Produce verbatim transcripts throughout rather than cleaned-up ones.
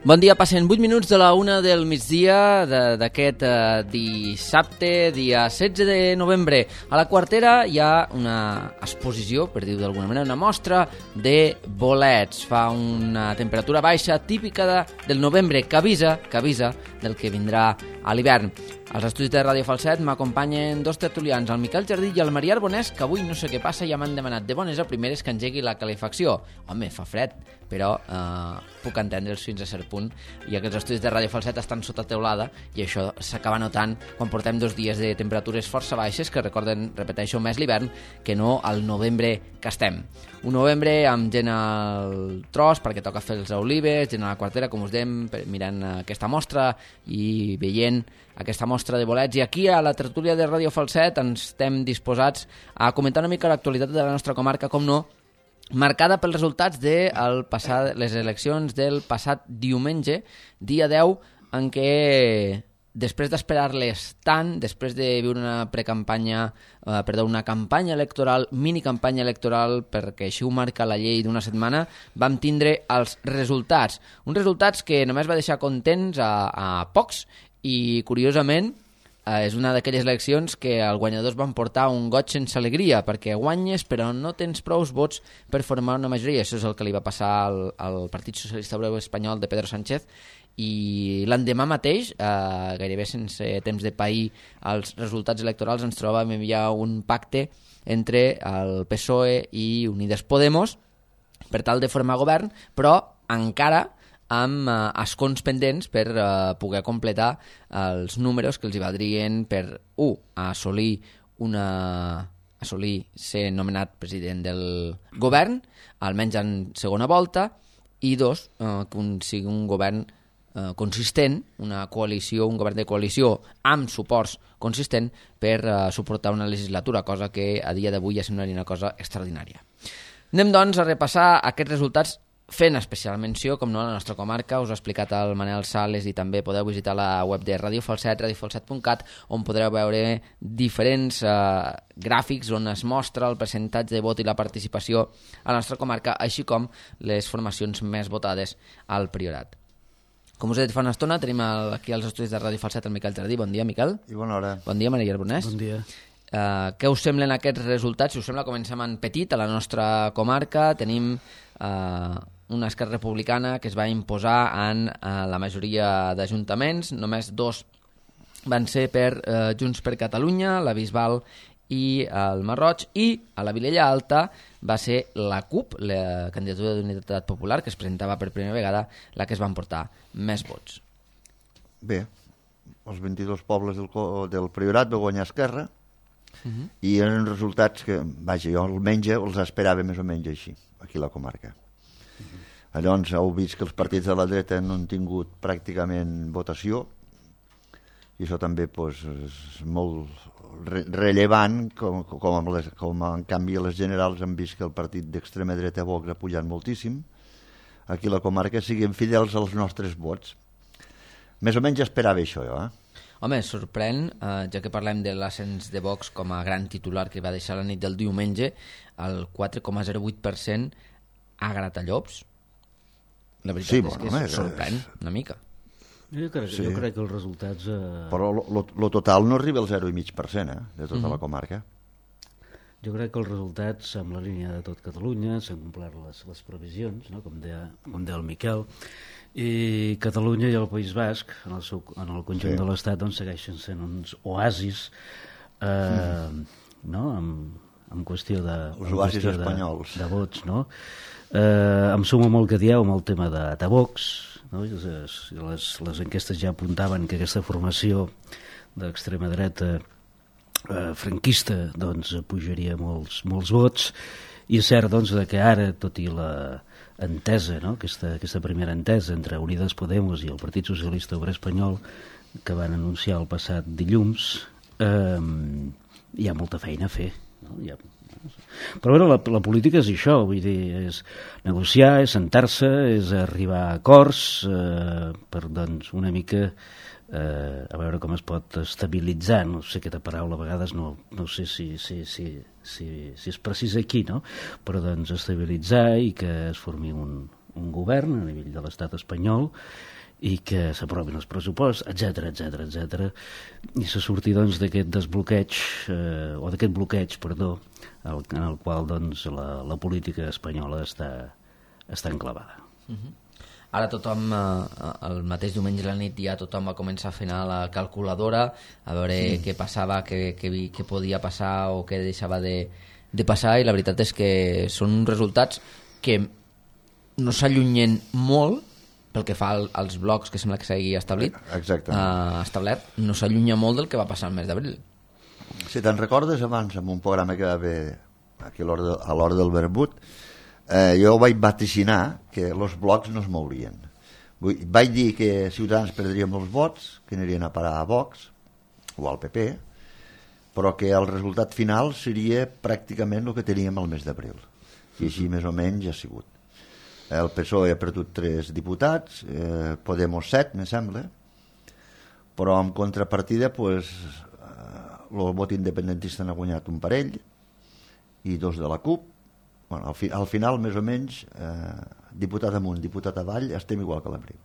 Bon dia, passen vuit minuts de la una del migdia d'aquest eh, dissabte, dia setze de novembre. A la Quartera hi ha una exposició, per dir-ho d'alguna manera, una mostra de bolets. Fa una temperatura baixa típica de, del novembre, que avisa, que avisa del que vindrà a l'hivern. Als estudis de Ràdio Falset m'acompanyen dos tertulians, el Miquel Jardí i el Maria Arbonès, que avui no sé què passa, ja m'han demanat de bones a primeres que engegui la calefacció. Home, fa fred, però eh, puc entendre'ls fins a cert punt, i aquests estudis de Ràdio Falset estan sota teulada i això s'acaba notant quan portem dos dies de temperatures força baixes que recorden, repeteixo, més l'hivern que no al novembre que estem. Un novembre amb gent al tros perquè toca fer els olives, gent a la Quartera, com us dèiem, mirant aquesta mostra i veient aquesta mostra de bolets, i aquí a la tertúlia de Ràdio Falset ens estem disposats a comentar una mica l'actualitat de la nostra comarca, com no, marcada pels resultats de el passat, les eleccions del passat diumenge, dia deu, en què després d'esperar-les tant, després de viure una precampanya, eh, perdó, una campanya electoral, mini-campanya electoral, perquè així ho marca la llei d'una setmana, vam tindre els resultats. Uns resultats que només va deixar contents a, a pocs, i curiosament eh, és una d'aquelles eleccions que els guanyadors van portar un goig sense alegria, perquè guanyes però no tens prous vots per formar una majoria. Això és el que li va passar al, al Partit Socialista Obrer Espanyol de Pedro Sánchez, i l'endemà mateix, eh, gairebé sense temps de pair els resultats electorals, ens trobàvem ja un pacte entre el P S O E i Unides Podemos per tal de formar govern, però encara amb eh, escons pendents per eh, poder completar els números que els hi valdrien per, un, assolir una assolir ser nomenat president del govern, almenys en segona volta, i dos, eh, que un, sigui un govern eh, consistent, una coalició, un govern de coalició amb suports consistent per eh, suportar una legislatura, cosa que a dia d'avui ja semblaria una cosa extraordinària. Anem, doncs, a repassar aquests resultats fent especial menció, com no, a la nostra comarca. Us ha explicat el Manel Sales i també podeu visitar la web de Ràdio Falset, radio falset punt cat, on podreu veure diferents eh, gràfics on es mostra el percentatge de vot i la participació a la nostra comarca, així com les formacions més votades al Priorat. Com us he dit fa una estona, tenim el, aquí als estudis de Ràdio Falset el Miquel Jardí. Bon dia, Miquel. I bona hora. Bon dia, Maria Arbonès. Bon dia. Uh, què us semblen aquests resultats? Si us sembla, comencem en petit, a la nostra comarca. Tenim uh, una Esquerra Republicana que es va imposar en uh, la majoria d'ajuntaments. Només dos van ser per uh, Junts per Catalunya, la Bisbal i el Marroig, i a la Vilella Alta va ser la CUP, la candidatura d'Unitat Popular, que es presentava per primera vegada, la que es van portar més vots. Bé, els vint-i-dos pobles del, del Priorat va guanyar Esquerra, uh-huh. i eren resultats que, vaja, jo almenys els esperava més o menys així, aquí a la comarca. Uh-huh. Llavors heu vist que els partits de la dreta no han tingut pràcticament votació, i això també pues, és molt re rellevant, com, com, amb les, com en canvi a les generals hem vist que el partit d'extrema dreta Vox ha pujat moltíssim. Aquí a la comarca siguem fidels als nostres vots. Més o menys esperava això, jo, eh? Home, sorprèn, eh, ja que parlem de l'ascens de Vox com a gran titular que va deixar la nit del diumenge, el quatre coma zero vuit per cent a Gratallops. La veritat sí, és que home, sorprèn és... una mica. Jo crec, sí. jo crec que els resultats... Eh... Però el total no arriba al zero coma cinc per cent eh, de tota mm-hmm. la comarca. Jo crec que els resultats, amb la línia de tot Catalunya, s'han complert les, les previsions, no? com, deia, com deia el Miquel, i Catalunya i el País Basc, en el, seu, en el conjunt sí. de l'Estat, doncs, segueixen sent uns oasis, eh, mm. no? amb, amb qüestió de... Els oasis espanyols. De, de vots, no? Eh, em sumo molt que dieu amb el tema de, de Vox, no? les, les, les enquestes ja apuntaven que aquesta formació d'extrema dreta eh, franquista doncs, pujaria molts, molts vots, i és cert doncs, que ara, tot i la entesa, no? aquesta, aquesta primera entesa entre Unides Podemos i el Partit Socialista Obrer Espanyol que van anunciar el passat dilluns, eh, hi ha molta feina a fer, no? Hi ha però veure, la, la política és això, vull dir, és negociar, és sentar-se, és arribar a acords eh, per doncs, una mica eh, a veure com es pot estabilitzar, no sé aquesta paraula a vegades no, no sé si, si, si, si, si és precís aquí, no? Però doncs estabilitzar i que es formi un, un govern a nivell de l'estat espanyol i que s'aprovin els pressuposts, etc etc etc i se surti doncs d'aquest desbloqueig eh, o d'aquest bloqueig, perdó, el, en el qual doncs la, la política espanyola està, està enclavada. Uh-huh. Ara tothom, eh, el mateix diumenge a la nit ja tothom va començar a fer anar la calculadora a veure mm. què passava, què, què, què podia passar o què deixava de, de passar, i la veritat és que són resultats que no s'allunyen molt pel que fa al, als blocs que sembla que s'hagi establit. Uh, establert, no s'allunya molt del que va passar el mes d'abril. Si te'n recordes abans, en un programa que va haver aquí a l'hora de, a del Verbut, Eh, jo vaig vaticinar que els blocs no es mourien. Vull, vaig dir que Ciutadans perdria molts vots, que anirien a parar a Vox o al P P, però que el resultat final seria pràcticament el que teníem el mes d'abril, i així més o menys ha sigut. El P S O E ha perdut tres diputats, eh, Podemos set, me sembla, però en contrapartida pues, eh, el vot independentista n'ha guanyat un parell i dos de la CUP. Bueno, al, fi, al final, més o menys, eh, diputat amunt, diputat avall, estem igual que l'abril.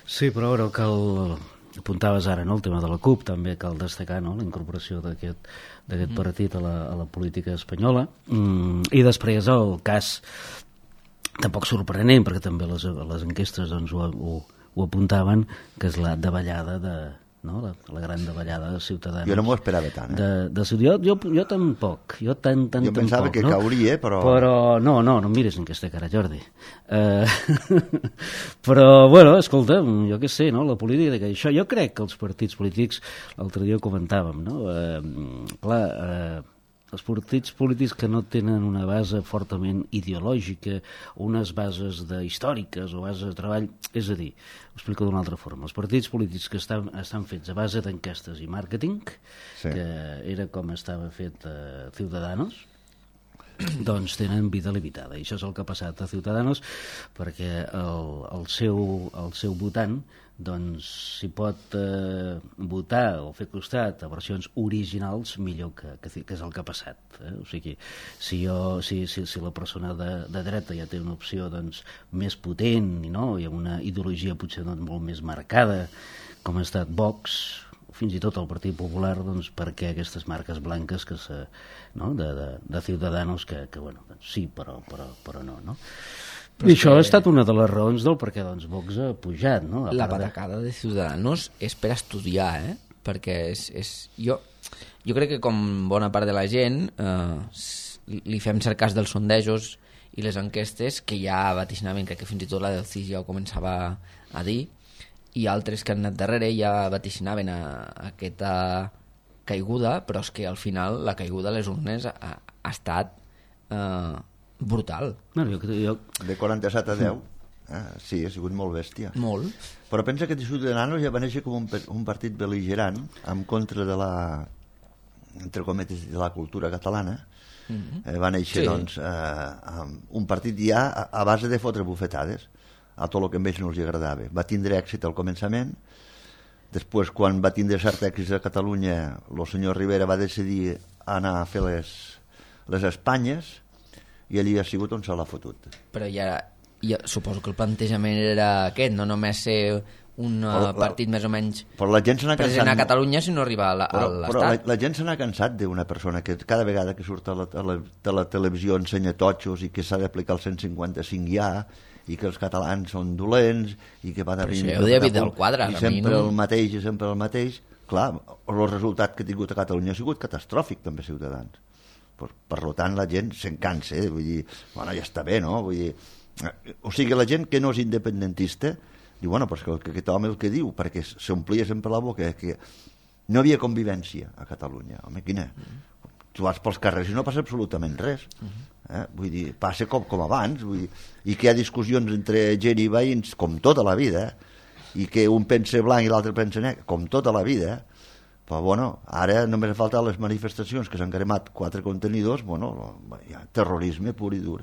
Sí, però ara cal, apuntaves ara, no?, el tema de la CUP, també cal destacar, no?, la incorporació d'aquest d'aquest partit a la, a la política espanyola. Mm, I després el cas, tampoc sorprenent, perquè també les, les enquestes doncs, ho, ho, ho apuntaven, que és la davallada de... No? La, la gran davallada de Ciutadans. Jo no m'ho esperava tant, eh? De, de, jo, jo, jo tampoc. Jo, tan, tan, jo pensava tampoc, que no? cauria, però... Però no, no, no em mires en aquesta cara, Jordi. Uh, però, bueno, escolta, jo què sé, no? La política, que això, jo crec que els partits polítics, l'altre dia ho comentàvem, no? Uh, clar, uh, els partits polítics que no tenen una base fortament ideològica, unes bases de, històriques o bases de treball, és a dir, ho explico d'una altra forma, els partits polítics que estan, estan fets a base d'enquestes i màrqueting, sí. que era com estava fet a Ciudadanos, doncs tenen vida limitada, i això és el que ha passat a Ciudadanos, perquè el, el, seu, el seu votant doncs si pot eh, votar o fer costat a versions originals millor que, que, que és el que ha passat, eh? O sigui, si, jo, si, si, si la persona de, de dreta ja té una opció doncs, més potent, no? I amb una ideologia potser doncs, molt més marcada com ha estat Vox, fins i tot el Partit Popular, doncs perquè aquestes marques blanques que se, no? de, de, de Ciudadanos que, que bueno, doncs, sí, però, però, però no, no? Però I això que... ha estat una de les raons del perquè doncs, Vox ha pujat, no? A la patacada de... de Ciudadanos és per estudiar, eh? Perquè és, és... Jo, jo crec que com bona part de la gent eh, li fem cert cas dels sondejos i les enquestes que ja vaticinaven, crec que fins i tot la del C I S ja ho començava a dir, i altres que han anat darrere ja vaticinaven a, a aquesta caiguda, però és que al final la caiguda a les urnes ha, ha estat eh, brutal. No, jo, jo... De quaranta-set a deu, eh? Sí, ha sigut molt bèstia. Molt. Però pensa que Ciudadanos ja va néixer com un, un partit bel·ligerant en contra de la, entre cometes, de la cultura catalana. Mm-hmm. eh, va néixer sí. doncs, eh, un partit ja a, a base de fotre bufetades a tot el que a ells no els agradava. Va tindre èxit al començament, després quan va tindre cert èxit a Catalunya el senyor Rivera va decidir anar a fer les, les Espanyes i allí ha sigut on se l'ha fotut. Però ja, ja suposo que el plantejament era aquest, no només ser un la, partit més o menys la gent present a Catalunya, sinó arribar a l'Estat. Però la, la gent se n'ha cansat d'una persona que cada vegada que surt a la, a la, a la televisió ensenya totxos i que s'ha d'aplicar el cent cinquanta-cinc ja, i que els catalans són dolents i que va de venir del quadre, i sempre no? el mateix i sempre el mateix. Clar, el resultat que ha tingut a Catalunya ha sigut catastròfic, també, Ciutadans. Per, per tant, la gent se'n cansa, eh? Vull dir, bueno, ja està bé, no? Vull dir, o sigui, la gent que no és independentista diu, bueno, però és que aquest home el que diu, perquè s'omplia sempre la boca que no havia convivència a Catalunya. Home, quina? Mm. Tu vas pels carrers i no passa absolutament res. Mm-hmm. Eh? Vull dir, passa com, com abans, vull dir, i que hi ha discussions entre gent i veïns com tota la vida, eh? I que un pensa blanc i l'altre pensa negre, com tota la vida, eh? Però bueno, ara només ha faltat les manifestacions que s'han cremat quatre contenidors, bueno, hi ha terrorisme pur i dur.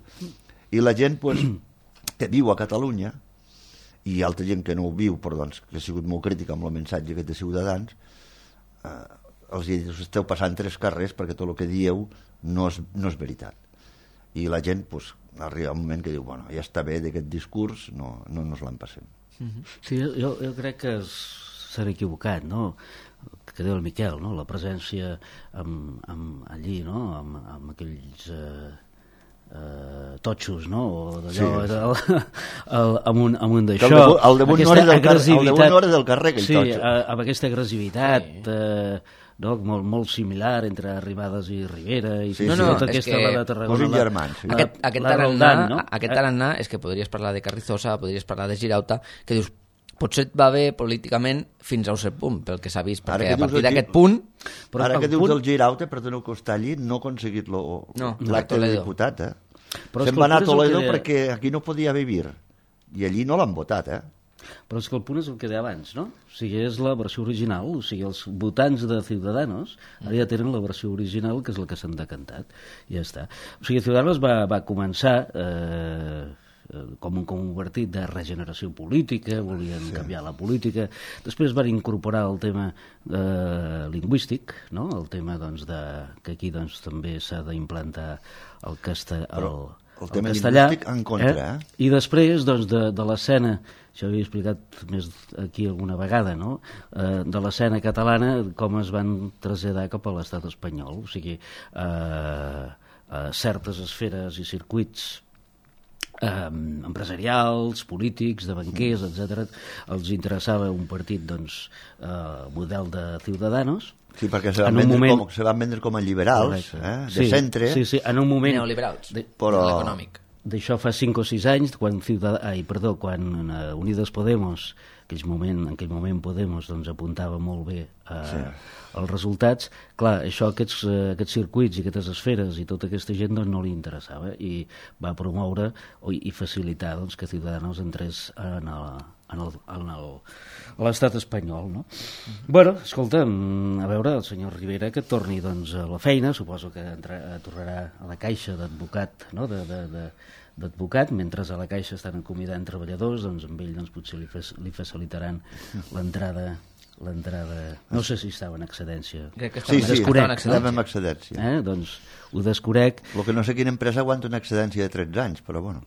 I la gent pues, que viu a Catalunya i altra gent que no ho viu, però doncs, que ha sigut molt crítica amb el missatge aquest de Ciutadans, eh, els diu, us esteu passant tres carrers perquè tot el que dieu no és, no és veritat. I la gent, doncs, arriba un moment que diu, bueno, ja està bé d'aquest discurs, no, no nos l'empassem. Sí, jo, jo crec que s'han equivocat, no? Que diu el Miquel, no? La presència amb, amb allí, no? Amb, amb aquells eh, eh, totxos, no? O d'allò, Sí. el, el, amb un, amb un Que d'això. el damunt- el damunt no era del car- el agressivitat- damunt no era del carrer, aquell sí, totxo. eh, amb aquesta agressivitat, Sí. eh, no? molt, molt similar entre Arribades i Rivera, i Sí, fins sí. i No, tot no, és aquesta que la de Tarragona. posin la- germans, sí. la- Aquest, aquest la tarannà, Roldán, no? aquest Eh, tarannà és que podries parlar de Carrizosa, podries parlar de Girauta, que dius, potser et va bé políticament fins a un cert punt, pel que s'ha vist, Ara perquè que a dius partir el d'aquest Gir- punt... Però Ara el que dius punt- el Girauta, perdoneu que està allí, no ha aconseguit lo, No, l'acte Toledo. de diputat, eh? Però és Se'n que va el anar a punt és el Toledo que deia- perquè aquí no podia vivir, i allí no l'han votat, eh? Però és que el punt és el que deia abans, no? O sigui, és la versió original, o sigui, els votants de Ciudadanos ara ja tenen la versió original, que és la que s'han decantat, i ja està. O sigui, Ciudadanos va, va començar eh, com un, com un partit de regeneració política, volien sí. canviar la política, després van incorporar el tema eh, lingüístic, no? El tema, doncs, de, que aquí doncs, també s'ha d'implantar el, casta, el, el tema castellà, lingüístic en contra, eh? I després, doncs, de, de l'escena, això ho havia explicat més aquí alguna vegada, no? Eh, de l'escena catalana, com es van traslladar cap a l'estat espanyol. O sigui, eh, eh, certes esferes i circuits eh, empresarials, polítics, de banquers, etcètera, els interessava un partit, doncs, eh, model de Ciudadanos. Sí, perquè se En van, un vendre, moment- com, se van vendre com a liberals, eh? de sí, centre. Sí, sí, en un moment... Neoliberals, De, Però- l'econòmic. D'això fa cinc o sis anys, quan, Ciudad... Ai, perdó, quan uh, Unides Podemos, aquell moment, en aquell moment Podemos doncs, apuntava molt bé uh, sí. els resultats, clar, això, aquests, uh, aquests circuits i aquestes esferes i tota aquesta gent doncs, no li interessava i va promoure o, i facilitar doncs, que Ciudadanos entrés en el, en el, en el, a l'estat espanyol, no? Mm-hmm. Bueno, escolta, a veure, el senyor Rivera que torni doncs, a la feina, suposo que entra, tornarà a la caixa d'advocat, no?, de, de, de, d'advocat, mentre a la caixa estan acomiadant treballadors, doncs amb ell doncs, potser li, fes, li facilitaran l'entrada l'entrada... No sé si estava en excedència. Crec que Sí, estava, sí, estava en estàvem excedència. en excedència. Eh? Doncs ho desconec El que no sé quina empresa aguanta una excedència de tretze anys, però bueno.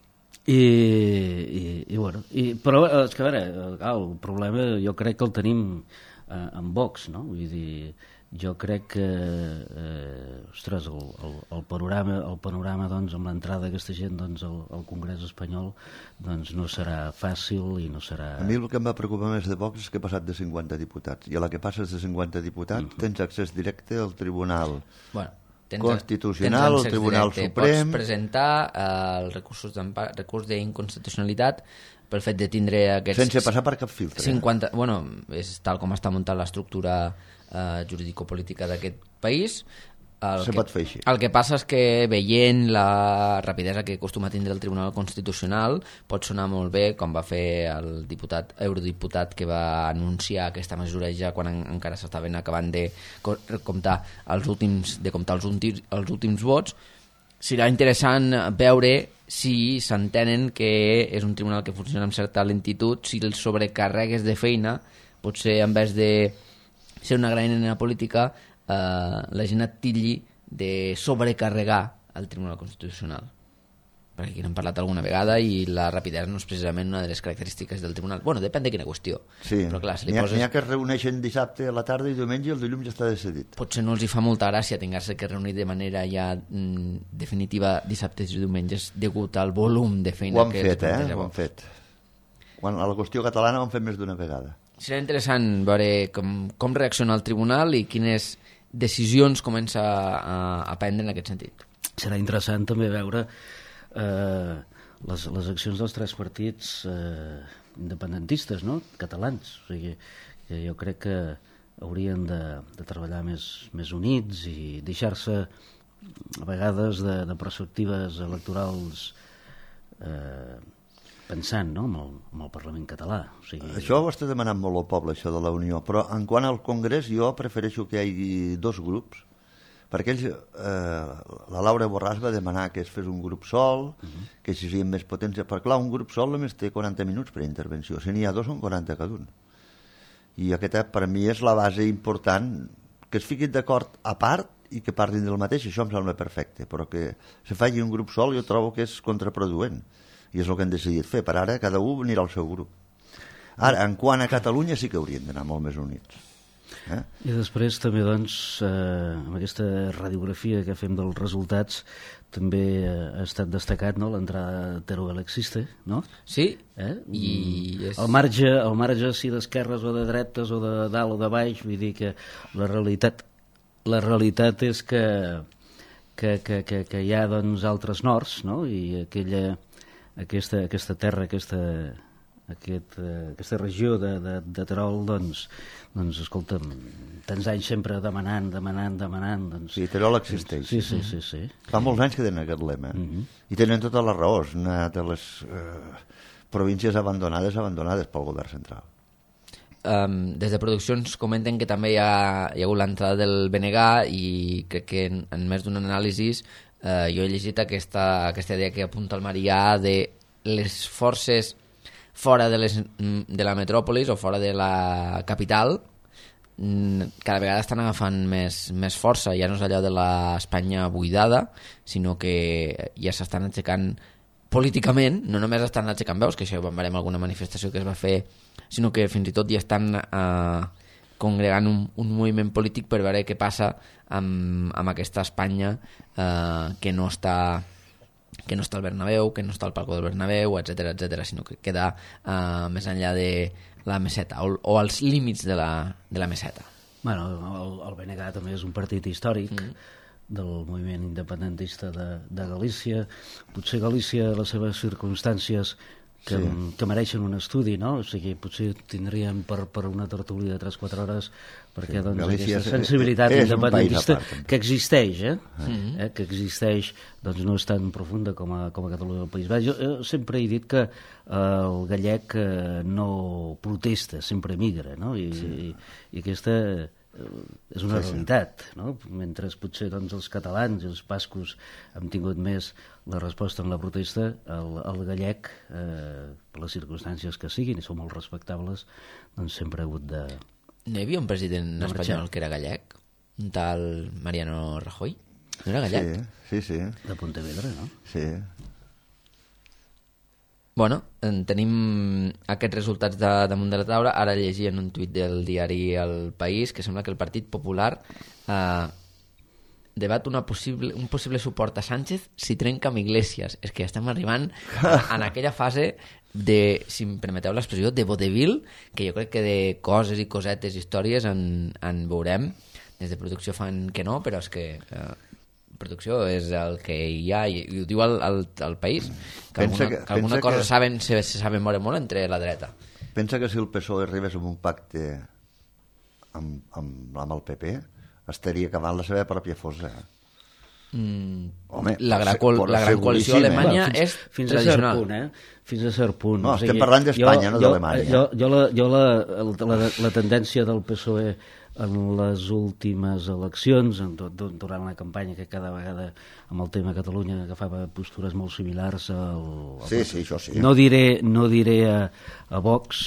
i, i, i bueno, i, però eh, és que a veure, eh, clar, el problema jo crec que el tenim eh, en Vox, no? Vull dir, jo crec que eh, ostres, el, el, el panorama, el panorama doncs, amb l'entrada d'aquesta gent doncs, al, al Congrés espanyol doncs, no serà fàcil i no serà... A mi el que em va preocupar més de Vox és que he passat de cinquanta diputats, i a la que passes de cinquanta diputats Mm-hmm. tens accés directe al Tribunal Bueno, tens, Constitucional, tens el Tribunal directe. Suprem. Pots presentar eh, el recurs recurs d'inconstitucionalitat pel fet de tindre aquests... sense passar per cap filtre. cinquanta, bueno, és tal com està muntant l'estructura eh, jurídico-política d'aquest país. El Se que, pot fer així. El que passa és que veient la rapidesa que acostuma a tindre el Tribunal Constitucional pot sonar molt bé com va fer el diputat, eurodiputat que va anunciar aquesta mesura ja quan en, encara s'estaven acabant de co- comptar els últims, de comptar els últims, els últims vots. Serà interessant veure si s'entenen que és un tribunal que funciona amb certa lentitud, si els sobrecarregues de feina, potser en vez de ser una gran eina política, eh, la gent et tilli de sobrecarregar el Tribunal Constitucional. Perquè aquí n'hem parlat alguna vegada i la rapidesa no és precisament una de les característiques del tribunal. Bueno, depèn de quina qüestió. Sí, Però clar, si li n'hi ha, poses... n'hi ha que es reuneixen dissabte a la tarda i diumenge i el dilluns ja està decidit. Potser no els hi fa molta gràcia tenir-se que reunir de manera ja mm, definitiva dissabtes i diumenges degut al volum de feina Ho han que fet, els eh? planteja Ho han Vox. fet. Quan a la qüestió catalana ho han fet més d'una vegada. Serà interessant veure com, com reacciona el tribunal i quines decisions comença a, a prendre en aquest sentit. Serà interessant també veure eh, les, les accions dels tres partits eh, independentistes, no?, catalans. O sigui, que jo crec que haurien de, de treballar més, més units i deixar-se a vegades de, de perspectives electorals eh, pensant, no?, amb el, amb el Parlament català. O sigui, Això ho està demanant molt el poble, això de la Unió, però en quant al Congrés jo prefereixo que hi hagi dos grups, perquè ells, eh, la Laura Borràs va demanar que es fes un grup sol, uh -huh. que si siguin més potents, perquè clar, un grup sol només té quaranta minuts per intervenció, si n'hi ha dos són quaranta cada un. I aquesta per mi és la base important, que es fiquin d'acord a part i que parlin del mateix, això em sembla perfecte, però que se faci un grup sol jo trobo que és contraproduent, i és el que han decidit fer. Per ara cada un anirà al seu grup. Ara, en quant a Catalunya sí que haurien d'anar molt més units. Eh? I després també, doncs, eh, amb aquesta radiografia que fem dels resultats, també eh, ha estat destacat, no?, l'entrada de Teruel Existe, no? Sí, eh? i... És... El marge, el marge si d'esquerres o de dretes o de dalt o de baix, vull dir que la realitat, la realitat és que, que, que, que, que hi ha, doncs, altres nords, no?, i aquella, aquesta, aquesta terra, aquesta... Aquest, eh, aquesta regió de, de, de Terol, doncs, doncs, escolta'm, tants anys sempre demanant, demanant, demanant... Doncs, sí, Terol existeix. Sí, sí, sí. sí. Fa molts anys que tenen aquest lema. Uh -huh. I tenen tota la raó. És una de les eh, províncies abandonades, abandonades pel govern central. Um, des de produccions comenten que també hi ha, hi ha hagut l'entrada del B N G i crec que en, en més d'un anàlisi eh, jo he llegit aquesta, aquesta idea que apunta el Marià de les forces fora de, les, de la metròpolis o fora de la capital cada vegada estan agafant més, més força. Ja no és allò de l'Espanya buidada, sinó que ja s'estan aixecant políticament, no només estan aixecant veus, que això ho veurem alguna manifestació que es va fer, sinó que fins i tot ja estan eh, congregant un, un moviment polític per veure què passa amb, amb aquesta Espanya eh, que no està que no està al Bernabéu, que no està al Palco del Bernabéu, etcètera, etcètera, sinó que queda uh, més enllà de la meseta o, o als límits de la, de la meseta. Bueno, el, el B N G també és un partit històric mm. del moviment independentista de, de Galícia. Potser Galícia, les seves circumstàncies que, sí. que mereixen un estudi, no? O sigui, potser tindríem per, per una tertúlia de tres o quatre hores perquè sí, doncs, Galícia aquesta sensibilitat és, és independentista que existeix, eh? Mm-hmm. eh? que existeix, doncs no és tan profunda com a, com a Catalunya del País Baix. Jo, jo sempre he dit que eh, el gallec eh, no protesta, sempre migra, no? I, sí. i, i aquesta eh, és una sí, realitat, sí. no? Mentre potser doncs, els catalans i els bascos han tingut més la resposta en la protesta, el, el gallec, eh, per les circumstàncies que siguin, i són molt respectables, doncs sempre ha hagut de... No hi havia un president espanyol que era gallec? Un tal Mariano Rajoy? No era gallec? Sí, sí, sí. De Pontevedra, no? Sí. Bueno, tenim aquests resultats de, damunt de la taula. Ara llegia en un tuit del diari El País que sembla que el Partit Popular eh, debat una possible, un possible suport a Sánchez si trenca amb Iglesias. És que estem arribant a, en aquella fase de, si em permeteu l'expressió, de vodevil, que jo crec que de coses i cosetes, històries en, en veurem. Des de producció fan que no, però és que eh, producció és el que hi ha i, i ho diu el, el, el País, que pensa alguna, que, que alguna cosa que... saben, se, se saben moure molt entre la dreta. Pensa que si el P S O E arribés amb un pacte amb, amb, amb el P P estaria acabant la seva pròpia fosa. Mm, Home, la gran, col la gran coalició alemanya eh? és fins tradicional. A cert punt, eh? Fins a cert punt. No, o sigui, estem parlant d'Espanya, no d'Alemanya. Jo, jo, la, jo la, la, la tendència del P S O E en les últimes eleccions, en, durant la campanya, que cada vegada amb el tema Catalunya agafava postures molt similars al... al sí, sí, això sí. No diré, no diré a, a Vox,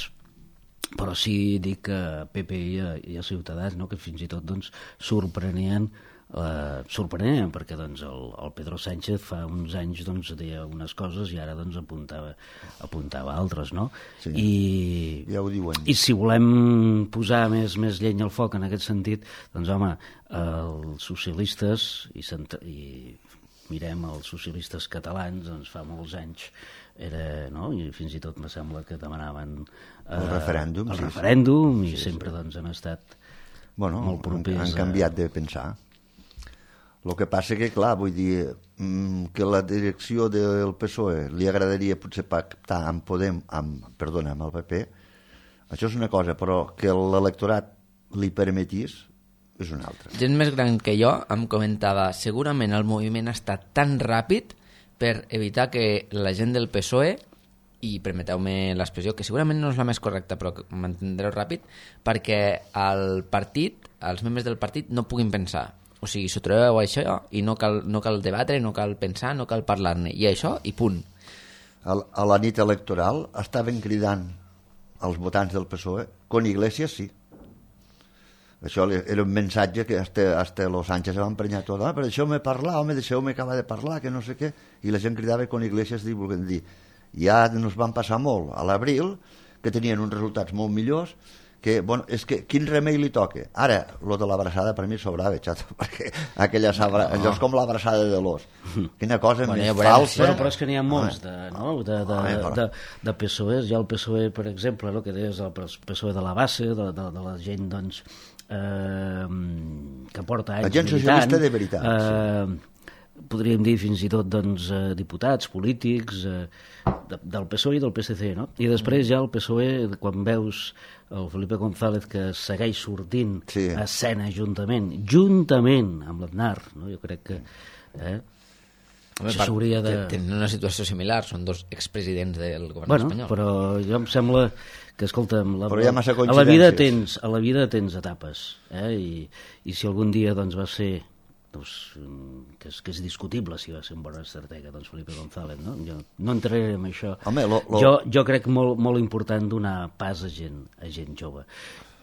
però sí dic a P P i a, i a Ciutadans, no? Que fins i tot doncs, sorprenien Uh, sorprenent, perquè doncs, el, el Pedro Sánchez fa uns anys doncs, deia unes coses i ara doncs, apuntava, apuntava altres, no? Sí, I, ja ho diuen. I si volem posar més, més llenya al foc en aquest sentit, doncs home, els socialistes i, i mirem els socialistes catalans, doncs fa molts anys era, no? I fins i tot me sembla que demanaven uh, el referèndum, el sí, referèndum sí. i sí, sempre sí. doncs, han estat bueno, molt propers. Han, han canviat de pensar. El que passa que, clar, vull dir, que la direcció del P S O E li agradaria potser pactar amb Podem, amb, perdona, amb el P P, això és una cosa, però que l'electorat li permetís és una altra. Gent més gran que jo em comentava segurament el moviment ha estat tan ràpid per evitar que la gent del P S O E, i permeteu-me l'expressió, que segurament no és la més correcta, però m'entendreu ràpid, perquè el partit, els membres del partit no puguin pensar. o sigui, s'ho trobeu això i no cal, no cal debatre, no cal pensar, no cal parlar-ne, i això, i punt. A, a la nit electoral estaven cridant als votants del P S O E con Iglesias sí. Això era un mensatge que hasta, hasta los Sánchez se va emprenyar tot, ah, però deixeu-me parlar, home, deixeu-me acabar de parlar, que no sé què, i la gent cridava con Iglesias, volent dir, ja ens van passar molt a l'abril, que tenien uns resultats molt millors, que, bueno, és que quin remei li toca? Ara, lo de l'abraçada per mi sobrava, xato, perquè aquella sabra... no. Allò és com l'abraçada de l'os. Quina cosa bueno, més falsa. Però, però és que n'hi ha molts de, no? de, de, de, de, de P S O Es. Hi ha el P S O E, per exemple, no? que deies el P S O E de la base, de, de, de la gent, doncs, eh, que porta anys la gent socialista de veritat. Eh, sí. Podríem dir fins i tot doncs, eh, diputats, polítics, eh, de, del P S O E i del P S C, no? I després ja el P S O E, quan veus el Felipe González que segueix sortint sí. a escena juntament, juntament amb l'Aznar, no? Jo crec que eh, Home, això s'hauria de... Tenen una situació similar, són dos expresidents del govern bueno, espanyol. Però jo em sembla que, escolta'm, la, però hi ha massa a la vida tens, a la vida tens etapes, eh? I, i si algun dia doncs, va ser doncs, que, és, que és discutible si va ser un bon estratega, doncs Felipe González, no? Jo no entraré en això. Home, lo, lo... Jo, jo crec molt, molt important donar pas a gent, a gent jove.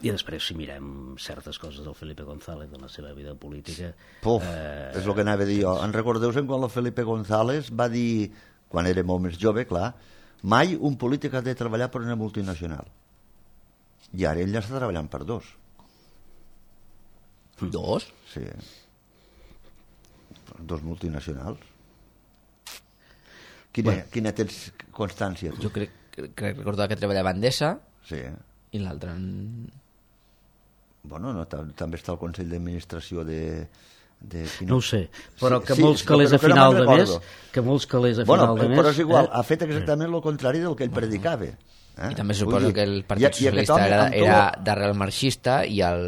I després, si mirem certes coses del Felipe González en la seva vida política... Puf, eh... és el que anava a dir jo. En recordeu-se'n quan el Felipe González va dir, quan era molt més jove, clar, mai un polític ha de treballar per una multinacional. I ara ell ja està treballant per dos. Dos? Sí. Dos multinacionals. Quina, bueno. quina tens constància? Tu? Jo crec, crec recordar que treballava a Endesa sí. i l'altre en... Bueno, no, també està el Consell d'Administració de... de quina... No ho sé, però sí, que sí, molts calés a final no de mes que molts calés a bueno, final de mes però és igual, eh? ha fet exactament el contrari del que ell predicava. Eh? I també suposo dir, que el Partit i, Socialista i era, era d'arrel marxista i al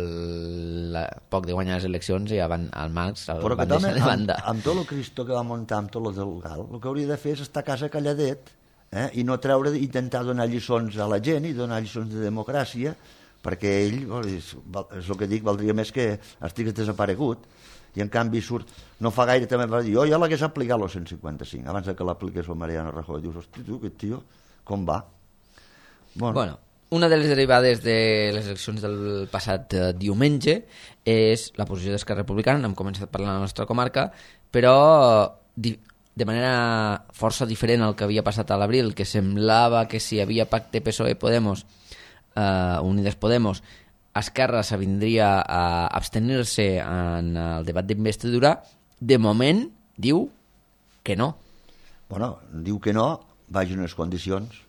la, poc de guanyar les eleccions ja van al Marx el però van deixar de banda. Amb, amb tot el Cristo que va muntar, amb tot el del Gal, el que hauria de fer és estar a casa calladet eh? i no treure, intentar donar lliçons a la gent i donar lliçons de democràcia, perquè ell, és, és el que dic, valdria més que estigués desaparegut, i en canvi surt, no fa gaire també va dir, jo ja l'hagués aplicat el cent cinquanta-cinc abans que l'apliqués el Mariano Rajoy. Dius, hosti tu, aquest tio, com va? Bueno. bueno, una de les derivades de les eleccions del passat eh, diumenge és la posició d'Esquerra Republicana, n'hem començat parlant a la nostra comarca, però di, de manera força diferent al que havia passat a l'abril, que semblava que si hi havia pacte P S O E-Podemos, eh, Unides Podemos, Esquerra s'avindria a abstenir-se en el debat d'investidura, de moment diu que no. Bueno, diu que no, vagi unes condicions.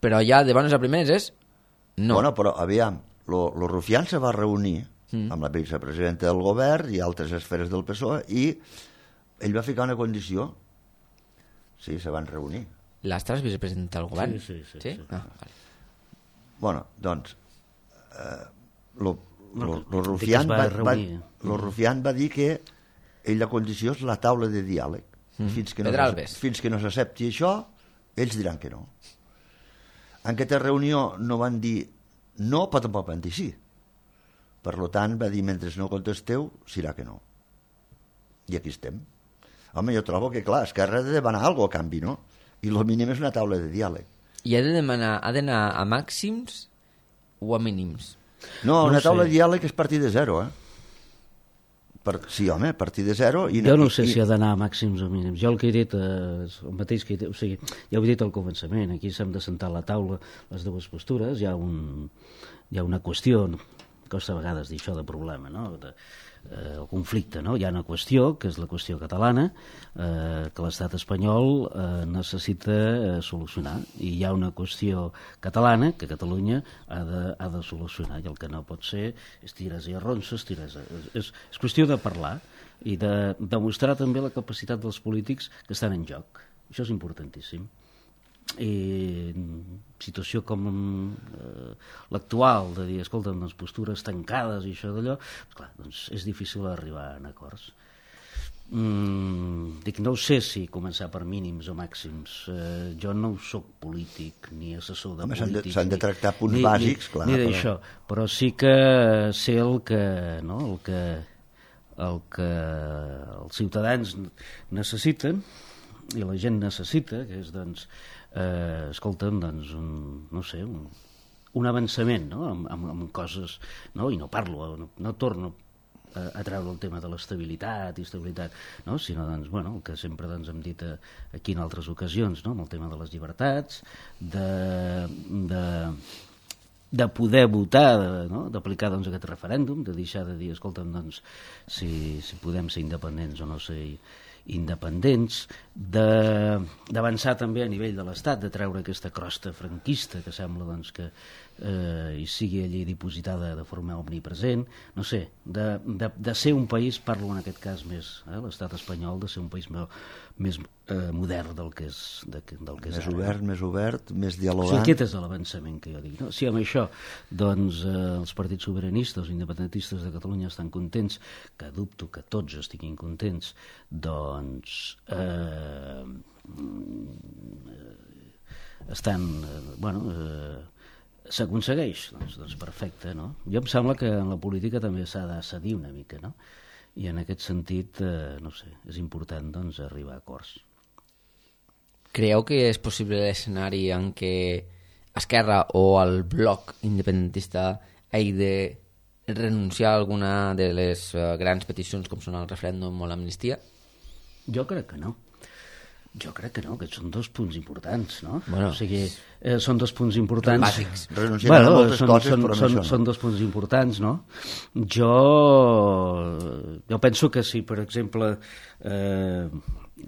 Però ja de bones a primeres és no. Bueno, però aviam, lo, lo Rufián se va reunir mm. amb la vicepresidenta del govern i altres esferes del P S O E i ell va ficar una condició. Sí, se van reunir. L'Astra és vicepresidenta del govern? Sí, sí, sí. sí? sí. Ah, vale. Bueno, doncs eh, lo, lo, lo, Rufián va, va, lo Rufián va dir que ell la condició és la taula de diàleg. Mm. Fins que no, fins que no s'accepti això, ells diran que no. En aquesta reunió no van dir no, però tampoc van dir sí. Per tant, va dir, mentre no contesteu, serà que no. I aquí estem. Home, jo trobo que, clar, Esquerra ha de demanar alguna cosa a canvi, no? I el mínim és una taula de diàleg. I ha de demanar, ha d'anar a màxims o a mínims? No, una no taula de diàleg és partir de zero, eh? Per, sí, home, a partir de zero... I, jo no sé i, si ha d'anar a màxims o mínims. Jo el que he dit, eh, el mateix que he dit, o sigui, ja ho he dit al començament, aquí s'hem de sentar a la taula les dues postures, hi ha, un, hi ha una qüestió, costa a vegades dir això de problema, no? De, eh, el conflicte, no? Hi ha una qüestió, que és la qüestió catalana, eh, que l'estat espanyol eh, necessita eh, solucionar, i hi ha una qüestió catalana que Catalunya ha de, ha de solucionar, i el que no pot ser és tires i arronses, tires a... és, és qüestió de parlar i de demostrar també la capacitat dels polítics que estan en joc. Això és importantíssim. I situació com eh, l'actual, de dir, escolta, les postures tancades i això d'allò, clar, doncs és difícil arribar a acords. Mm, dic, no sé si començar per mínims o màxims. Eh, jo no soc polític ni assessor de Home, polítics. S'han de, de tractar punts ni, bàsics, ni, clar. Ni d'això, però... però sí que sé el que, no, el que el que els ciutadans necessiten i la gent necessita, que és, doncs, eh, escolta'm, doncs, un, no sé, un, un avançament, no?, amb, amb, amb coses, no?, i no parlo, no, no torno a, a treure el tema de l'estabilitat i estabilitat, no?, sinó, doncs, bueno, el que sempre, doncs, hem dit aquí en altres ocasions, no?, amb el tema de les llibertats, de... de de poder votar, de, no? d'aplicar, doncs, aquest referèndum, de deixar de dir, escolta'm, doncs, si, si podem ser independents o no ser independents, de, d'avançar també a nivell de l'Estat, de treure aquesta crosta franquista que sembla, doncs, que eh, hi sigui allí dipositada de forma omnipresent, no sé, de, de, de ser un país, parlo en aquest cas més, eh, l'estat espanyol, de ser un país més, més eh, modern del que és, de, del que és més ara. obert, més obert, més O dialogant. sigui, aquest és l'avançament que jo dic. No? Si amb això, doncs, eh, els partits sobiranistes, els independentistes de Catalunya estan contents, que dubto que tots estiguin contents, doncs eh, estan, eh, bueno, eh, s'aconsegueix, doncs, doncs perfecte, no? Jo em sembla que en la política també s'ha de cedir una mica, no? I en aquest sentit, eh, no sé, és important, doncs, arribar a acords. Creieu que és possible l'escenari en què Esquerra o el bloc independentista hagi de renunciar a alguna de les uh, grans peticions com són el referèndum o l'amnistia? Jo crec que no. Jo crec que no, que són dos punts importants, no? Bueno, o sigui, eh, són dos punts importants. Bàsics. Renunciem bueno, a moltes són, coses, són, però són, no. són dos punts importants, no? Jo, jo penso que si, per exemple, eh,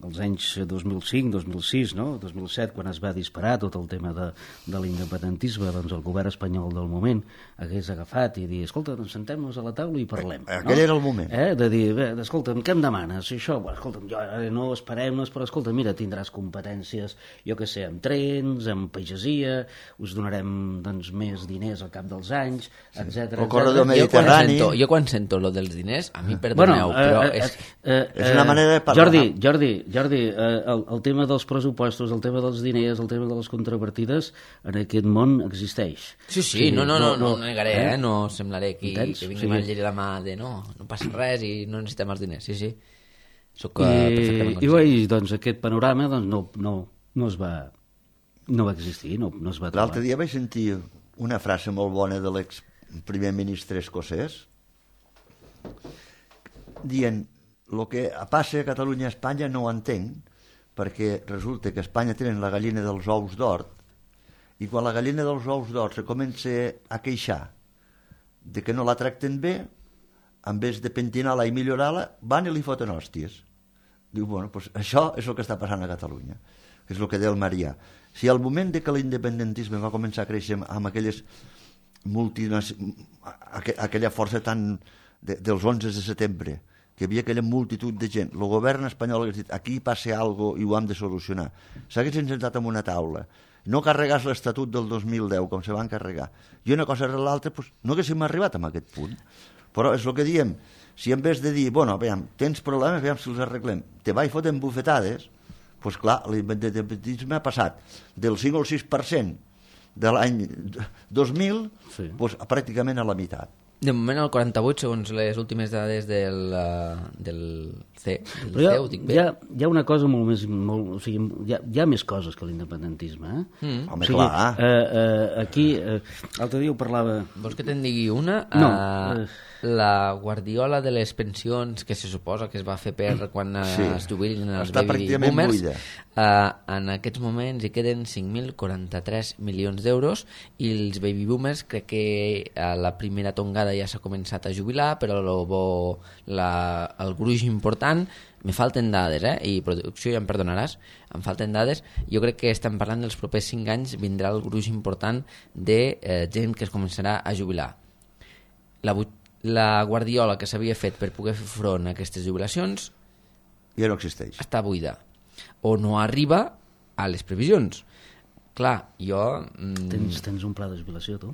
als anys dos mil cinc, dos mil sis, no? dos mil set, quan es va disparar tot el tema de, de l'independentisme, doncs el govern espanyol del moment hagués agafat i dir, escolta, doncs sentem-nos a la taula i parlem. Aquell no? era el moment. Eh? De dir, bé, escolta'm, què em demanes? I això, bueno, escolta'm, jo ara no esperem-nos, però escolta, mira, tindràs competències, jo què sé, amb trens, amb pagesia, us donarem, doncs, més diners al cap dels anys, etcètera. El corredor Jo quan, mediterrani. sento, jo quan sento lo dels diners, a mi perdoneu, Bueno, però eh, és... eh, eh, És una manera de parlar. Jordi, Jordi, Jordi eh, el, el tema dels pressupostos, el tema dels diners, el tema de les contrapartides, en aquest món existeix. Sí, sí, no, no, no, no, no negaré, eh? No semblaré aquí Entens? que vingui O sigui- a llegir la mà de no, no passa res i no necessitem els diners, sí, sí. Soc I, eh, perfectament i, conscient. i doncs aquest panorama doncs, no, no, no es va no va existir, no, no es va trobar. L'altre dia vaig sentir una frase molt bona de l'ex primer ministre escocès dient el que passa a Catalunya i a Espanya no ho entenc perquè resulta que a Espanya tenen la gallina dels ous d'or i quan la gallina dels ous d'or se comença a queixar de que no la tracten bé, en vez de pentinar-la i millorar-la, van i li foten hòsties. Diu, bueno, doncs això és el que està passant a Catalunya, que és el que deia el Marià. Si al moment de que l'independentisme va començar a créixer amb aquelles multinacionals, aquella força tan de, dels onze de setembre, que hi havia aquella multitud de gent, el govern espanyol hagués dit, aquí passa alguna cosa i ho hem de solucionar. S'hagués sentat en una taula, no carregàs l'Estatut del dos mil deu, com se van carregar, i una cosa rere l'altra, doncs, no haguéssim arribat a aquest punt. Però és el que diem, si en vez de dir, bueno, veiem, tens problemes, veiem si els arreglem, te va i foten bufetades, doncs clar, l'independentisme ha passat del cinc al sis per cent de l'any dos mil Sí. doncs, pràcticament a la meitat. De moment el quaranta-vuit, segons les últimes dades del, uh, del C, del Però hi C, ha, ho dic hi, bé. ha, hi ha una cosa molt més... Molt, o sigui, hi ha, hi ha més coses que l'independentisme. Eh? Mm. Home, o sigui, clar. eh, eh, aquí, eh, l'altre dia ho parlava... Vols que te'n digui una? No, Uh, eh. La guardiola de les pensions que se suposa que es va fer per quan uh, Sí. es jubilin els Està baby pràcticament boomers, buida. uh, en aquests moments hi queden cinc mil quaranta-tres milions d'euros i els baby boomers crec que a la primera tongada ja s'ha començat a jubilar, però lo bo, la, el gruix important me falten dades, eh? I producció ja em perdonaràs, em falten dades, jo crec que estem parlant dels propers cinc anys vindrà el gruix important de eh, gent que es començarà a jubilar. La, bu- la guardiola que s'havia fet per poder fer front a aquestes jubilacions Ja no existeix. està buida o no arriba a les previsions. Clar, jo... Mm, Tens, tens un pla de jubilació, tu?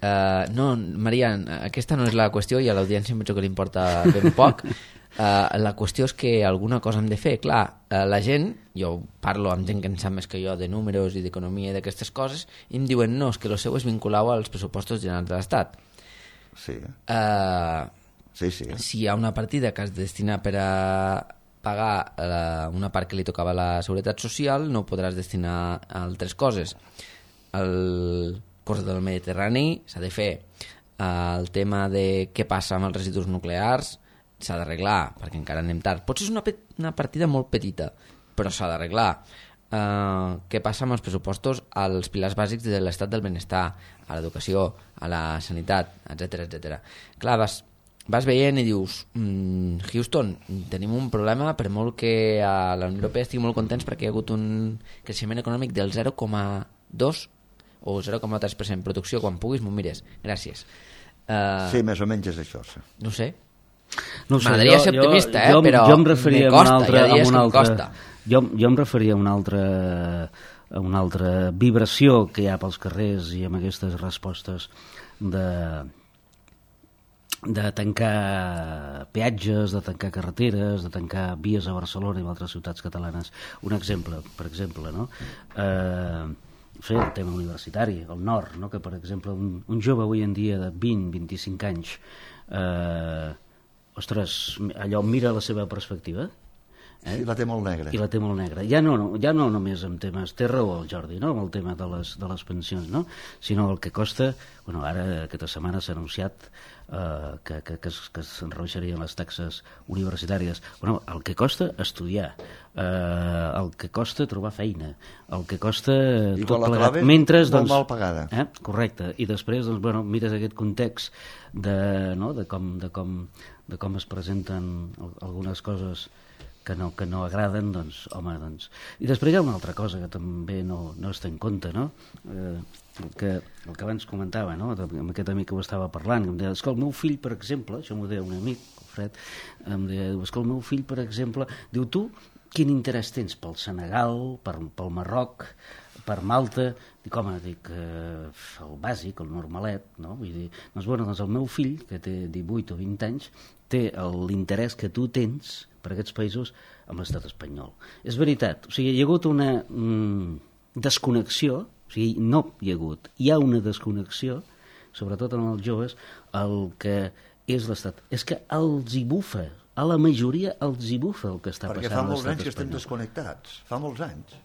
Uh, no, Maria, aquesta no és la qüestió i a l'audiència em penso que li importa ben poc. Uh, la qüestió és que alguna cosa hem de fer. Clar, uh, la gent, jo parlo amb gent que en sap més que jo de números i d'economia i d'aquestes coses, i em diuen no, és que el seu és vinculau als pressupostos generals de l'Estat. Sí. Uh, Sí, sí. Si hi ha una partida que es destina per a pagar la, una part que li tocava a la Seguretat Social, no podràs destinar a altres coses. El curs del Mediterrani s'ha de fer. El tema de què passa amb els residus nuclears s'ha d'arreglar, perquè encara anem tard. Potser és una, pe una partida molt petita, però s'ha d'arreglar. Uh, què passa amb els pressupostos als pilars bàsics de l'estat del benestar, a l'educació, a la sanitat, etcètera, etcètera. Clar, vas, vas veient i dius, mm, Houston, tenim un problema, per molt que a la Unió Europea estigui molt contents perquè hi ha hagut un creixement econòmic del zero coma dos o zero coma tres per cent. Producció, quan puguis m'ho mires. Gràcies. Uh, sí, més o menys és això. Sí. No sé. No sé, M'agradaria jo, ser optimista, jo, eh? però jo em referia me costa, a un altre, hi ha dies a un que em altre, costa. Jo, jo em referia a una altra, a una altra vibració que hi ha pels carrers i amb aquestes respostes de, de tancar peatges, de tancar carreteres, de tancar vies a Barcelona i a altres ciutats catalanes. Un exemple, per exemple, no? Eh, fer el tema universitari, el nord, no? Que per exemple un, un jove avui en dia de vint a vint-i-cinc anys eh, ostres, allò mira la seva perspectiva, eh? Sí, la té molt negra. I la té molt negra. Ja no, no, ja no només amb temes, té raó el Jordi, no? Amb el tema de les, de les pensions, no? Sinó el que costa, bueno, ara aquesta setmana s'ha anunciat eh, que, que, que, es, que se'n rebaixarien les taxes universitàries. Bueno, el que costa estudiar, eh, el que costa trobar feina, el que costa I tot la plegat. clave, Mentre, molt doncs, mal pagada. Eh? Correcte. I després, doncs, bueno, mires aquest context de, no? de, com, de, com, de com es presenten algunes coses que no, que no agraden, doncs, home, doncs... I després hi ha una altra cosa que també no, no es té en compte, no? Eh, el, que, el que abans comentava, no? Amb aquest amic que ho estava parlant, que em deia, és que el meu fill, per exemple, això m'ho deia un amic, el Fred, em deia, és que el meu fill, per exemple, diu, tu, quin interès tens pel Senegal, per, pel Marroc, per Malta? Dic, home, dic, eh, el bàsic, el normalet, no? Vull dir, doncs, bueno, doncs el meu fill, que té divuit o vint anys, té l'interès que tu tens per aquests països amb l'estat espanyol. És veritat, o sigui, hi ha hagut una mm, desconnexió, o sigui, no hi ha hagut, hi ha una desconnexió, sobretot en els joves, el que és l'estat. És que els hi bufa, a la majoria els hi bufa el que està Perquè passant a l'estat espanyol. Perquè fa molts anys que estem desconnectats, fa molts anys.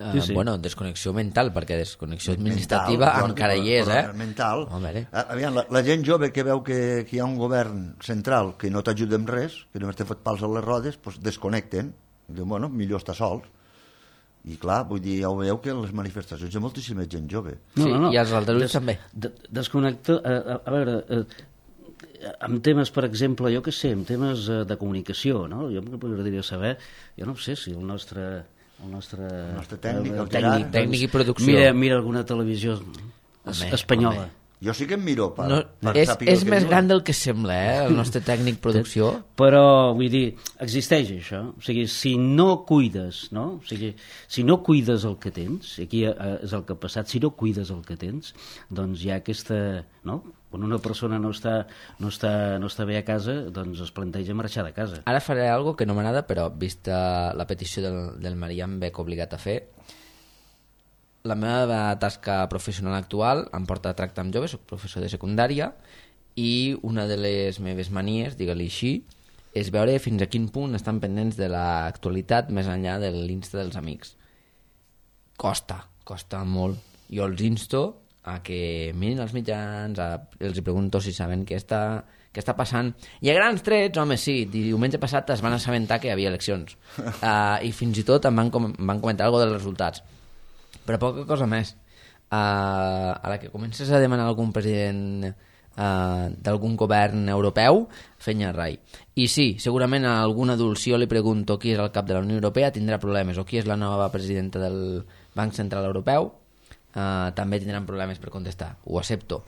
Uh, sí, sí. Bueno, desconnexió mental, perquè desconnexió administrativa mental, encara hi és, eh? Mental. Home, eh? Aviam, la, la gent jove que veu que, que hi ha un govern central que no t'ajuda amb res, que només t'ha fet pals a les rodes, doncs desconnecten. I diuen, bueno, millor estar sols. I clar, vull dir, ja ho veieu que les manifestacions hi ha moltíssima gent jove. No, sí, no, no. I els aldarulls Des, també. De, desconnecta... A, a, a veure... A, amb temes, per exemple, jo què sé, amb temes uh, de comunicació, no? Jo m'agradaria saber, jo no sé si el nostre... el nostre, el nostre tècnic, el tècnic, tècnic i producció. Mira, mira alguna televisió es, home, espanyola. Home. Jo sí que em miro per, no, per és, saber és el que més diuen. gran del que sembla, eh, el nostre tècnic producció. Però, vull dir, existeix això. O sigui, si no cuides, no? O sigui, si no cuides el que tens, i aquí és el que ha passat, si no cuides el que tens, doncs hi ha aquesta... No? Quan una persona no està, no, està, no està bé a casa, doncs es planteja marxar de casa. Ara faré algo que no m'agrada, però vista la petició del, del Marià em veig obligat a fer. La meva tasca professional actual em porta a tractar amb joves, soc professor de secundària, i una de les meves manies, digue-li així, és veure fins a quin punt estan pendents de l'actualitat més enllà de l'Insta dels amics. Costa, costa molt. Jo els insto a que mirin els mitjans, a, els pregunto si saben què està, què està passant. I a grans trets, home, sí, diumenge passat es van assabentar que hi havia eleccions. Uh, I fins i tot em van, com, em van comentar alguna dels resultats. Però poca cosa més. Uh, a la que comences a demanar algun president uh, d'algun govern europeu, fenya rai. I sí, segurament a algun adult, si jo li pregunto qui és el cap de la Unió Europea, tindrà problemes, o qui és la nova presidenta del Banc Central Europeu, uh, també tindran problemes per contestar. Ho accepto.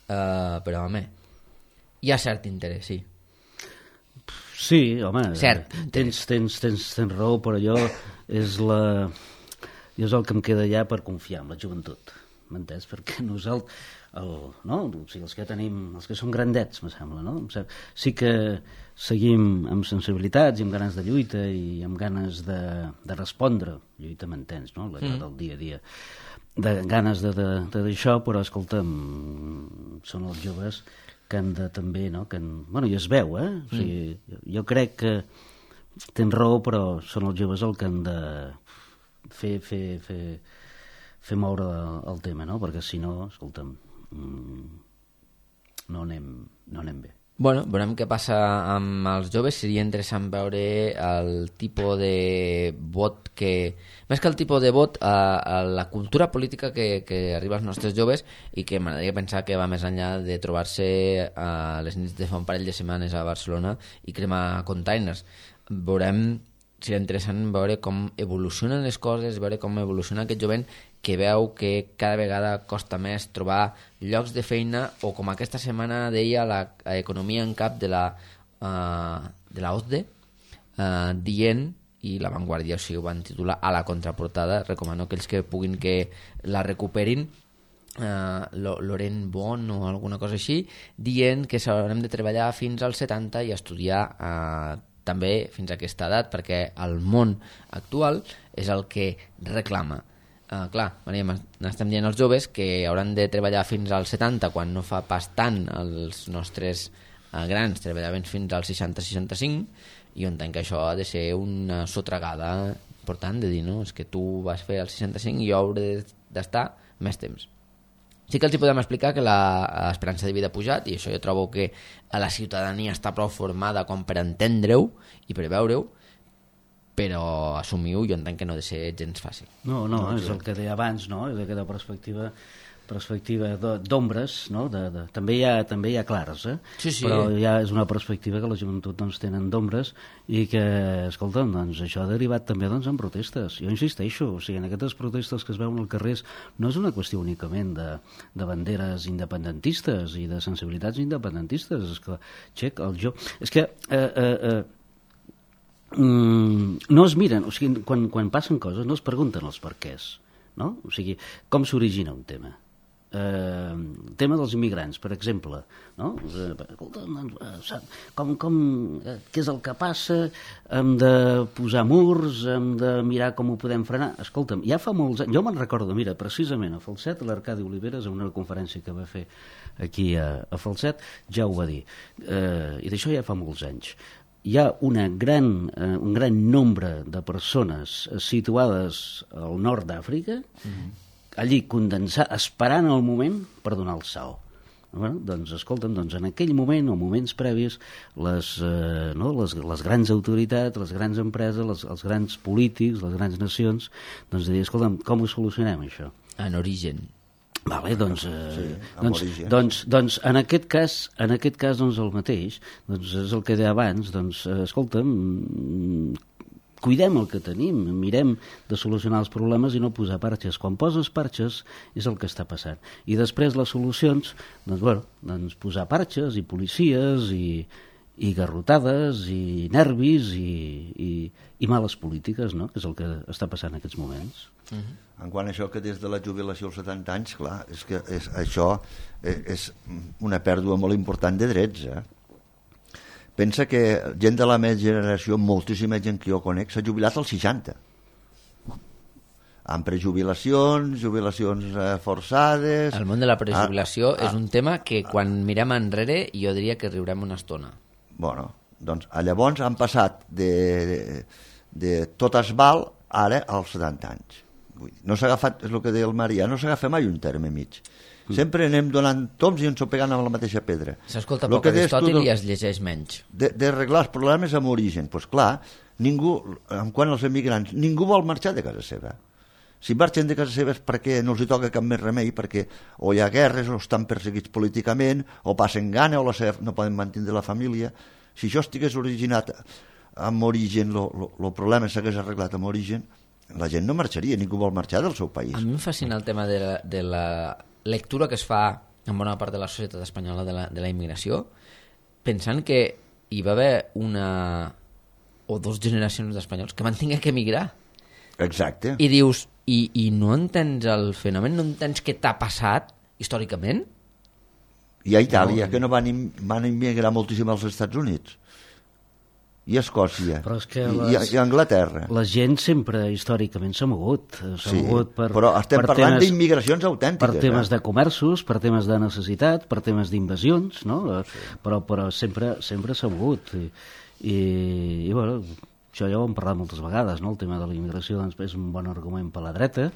Uh, però, home, hi ha cert interès, sí. Sí, home, cert, tens, tens, tens, tens raó, però allò és la... I és el que em queda ja per confiar en la joventut, m'entens? Perquè nosaltres, el, no? O sigui, els que tenim, els que som grandets, me sembla, no? Sí que seguim amb sensibilitats i amb ganes de lluita i amb ganes de, de respondre, lluita m'entens, no? La mm. del dia a dia, de ganes de, de, de d'això, però escolta'm, són els joves que han de també, no? Que han, bueno, i es veu, eh? O sigui, mm. jo crec que tens raó, però són els joves el que han de fer, fer, fer, fer moure el tema, no? Perquè si no, escolta'm, no anem, no anem bé. Bueno, veurem què passa amb els joves. Seria interessant veure el tipus de vot que... Més que el tipus de vot, a, a la cultura política que, que arriba als nostres joves, i que m'agradaria pensar que va més enllà de trobar-se a les nits de fa un parell de setmanes a Barcelona i cremar containers. Veurem, seria interessant veure com evolucionen les coses, veure com evoluciona aquest jovent que veu que cada vegada costa més trobar llocs de feina, o com aquesta setmana deia l'economia en cap de la, uh, de la O C D E, uh, dient, i La Vanguardia, o sigui, ho van titular a la contraportada, recomano aquells que puguin que la recuperin, uh, Laurent Bon o alguna cosa així, dient que s'haurem de treballar fins als setanta i estudiar uh, també fins a aquesta edat, perquè el món actual és el que reclama. Uh, clar, n'estem dient als joves que hauran de treballar fins als setanta, quan no fa pas tant els nostres uh, grans treballaven fins als seixanta seixanta-cinc, i jo entenc que això ha de ser una sotregada important de dir, no, és que tu vas fer els seixanta-cinc i jo hauré d'estar més temps. Sí que els hi podem explicar que l'esperança de vida ha pujat, i això jo trobo que la ciutadania està prou formada com per entendre-ho i per veure-ho, però assumir-ho jo entenc que no ha de ser gens fàcil. No, no, no és el que deia abans, no? És aquesta perspectiva perspectiva d'ombres, no? De, de, també, hi ha, també hi ha clares, eh? Sí, sí. Però ja és una perspectiva que la joventut doncs, tenen d'ombres, i que, escolta'm, doncs, això ha derivat també doncs, en protestes. Jo insisteixo, o sigui, en aquestes protestes que es veuen al carrer no és una qüestió únicament de, de banderes independentistes i de sensibilitats independentistes. És que, xec, el jo... És que... Eh, eh, eh, mm, no es miren, o sigui, quan, quan passen coses no es pregunten els perquès, no? O sigui, com s'origina un tema? Eh, el tema dels immigrants, per exemple, no? Escolta, com, com, què és el que passa? Hem de posar murs, hem de mirar com ho podem frenar. Escolta'm, ja fa molts anys, jo me'n recordo, mira, precisament a Falset, l'Arcadi Oliveres, en una conferència que va fer aquí a, a Falset, ja ho va dir, eh, i d'això ja fa molts anys. Hi ha una gran, eh, un gran nombre de persones situades al nord d'Àfrica, mm-hmm. allí condensat, esperant el moment per donar el salt. Bueno, doncs, escolta'm, doncs, en aquell moment, o moments previs, les, eh, no, les, les grans autoritats, les grans empreses, les, els grans polítics, les grans nacions, doncs, dir, escolta'm, com ho solucionem, això? En origen. Vale, doncs, eh, sí, doncs, doncs, doncs en aquest cas, en aquest cas doncs, el mateix, doncs, és el que deia abans, doncs, eh, escolta'm, cuidem el que tenim, mirem de solucionar els problemes i no posar parxes. Quan poses parxes és el que està passant. I després les solucions, doncs, bueno, doncs posar parxes i policies i, i garrotades i nervis i, i, i males polítiques, no? Que és el que està passant en aquests moments. Uh-huh. En quant a això que des de la jubilació als setanta anys, clar, és que és, això és, és una pèrdua molt important de drets, eh? Pensa que gent de la meva generació, moltíssima gent que jo conec, s'ha jubilat als seixanta. Amb prejubilacions, jubilacions eh, forçades... El món de la prejubilació ah, ah, és un tema que quan mirem enrere jo diria que riurem una estona. Bueno, doncs llavors han passat de, de, de tot es val ara als setanta anys. Vull dir, no s'ha agafat, és el que deia el Marià, no s'agafa mai un terme mig. Mm. Sempre anem donant toms i ens ho pegant amb la mateixa pedra. S'escolta poc Aristòtil i es llegeix menys. D'arreglar els problemes amb origen. Doncs pues clar, ningú, en quant als emigrants, ningú vol marxar de casa seva. Si marxen de casa seva és perquè no els hi toca cap més remei, perquè o hi ha guerres, o estan perseguits políticament, o passen gana, o la seva, no poden mantenir la família. Si això estigués originat amb origen, el problema s'hagués arreglat amb origen, la gent no marxaria, ningú vol marxar del seu país. A mi em fascina el tema de la, de la lectura que es fa en bona part de la societat espanyola de la, de la immigració, pensant que hi va haver una o dos generacions d'espanyols que van tenir que emigrar. Exacte. I dius, i, i no entens el fenomen, no entens què t'ha passat històricament? I a Itàlia, no, que no van, van immigrar moltíssim als Estats Units. i Escòcia, Però és que i, les- i Anglaterra. La gent sempre històricament s'ha mogut. S'ha Sí, mogut per, però estem per parlant temes- d'immigracions autèntiques. Per temes eh? de comerços, per temes de necessitat, per temes d'invasions, no? Sí. Però, però sempre sempre s'ha mogut. I, i, i bueno, això ja ho hem parlat moltes vegades, no? El tema de la immigració doncs, és un bon argument per la dreta,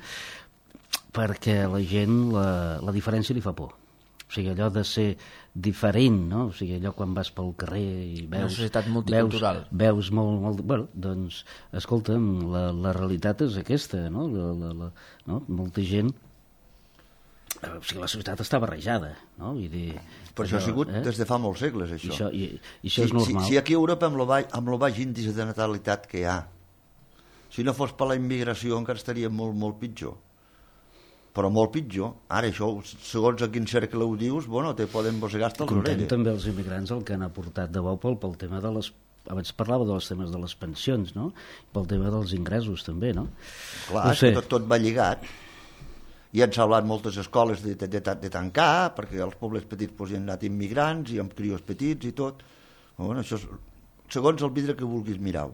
perquè la gent, la, la diferència li fa por. O sigui, allò de ser diferent, no? O sigui, allò quan vas pel carrer i veus... Una societat multicultural. Veus, veus molt, molt... Bueno, doncs, escolta'm, la, la realitat és aquesta, no? La, la, la, no? Molta gent... O sigui, la societat està barrejada, no? Vull dir, Però això ha sigut eh? des de fa molts segles, I això. això, i, i això si, és normal. Si, si aquí a Europa, amb el, baix, amb el baix índice de natalitat que hi ha, si no fos per la immigració encara estaria molt, molt pitjor. Però molt pitjor. Ara, això, segons a quin cercle ho dius, bueno, te poden mossegar hasta les Contem orelles. també els immigrants el que han aportat de bo pel, pel tema de les... Abans parlava dels temes de les pensions, no? Pel tema dels ingressos, també, no? Clar, no és que tot, tot va lligat. I han salvat moltes escoles de, de, de, de tancar, perquè als pobles petits pues, hi han anat immigrants, i amb crios petits i tot. Bueno, això és, segons el vidre que vulguis mirar.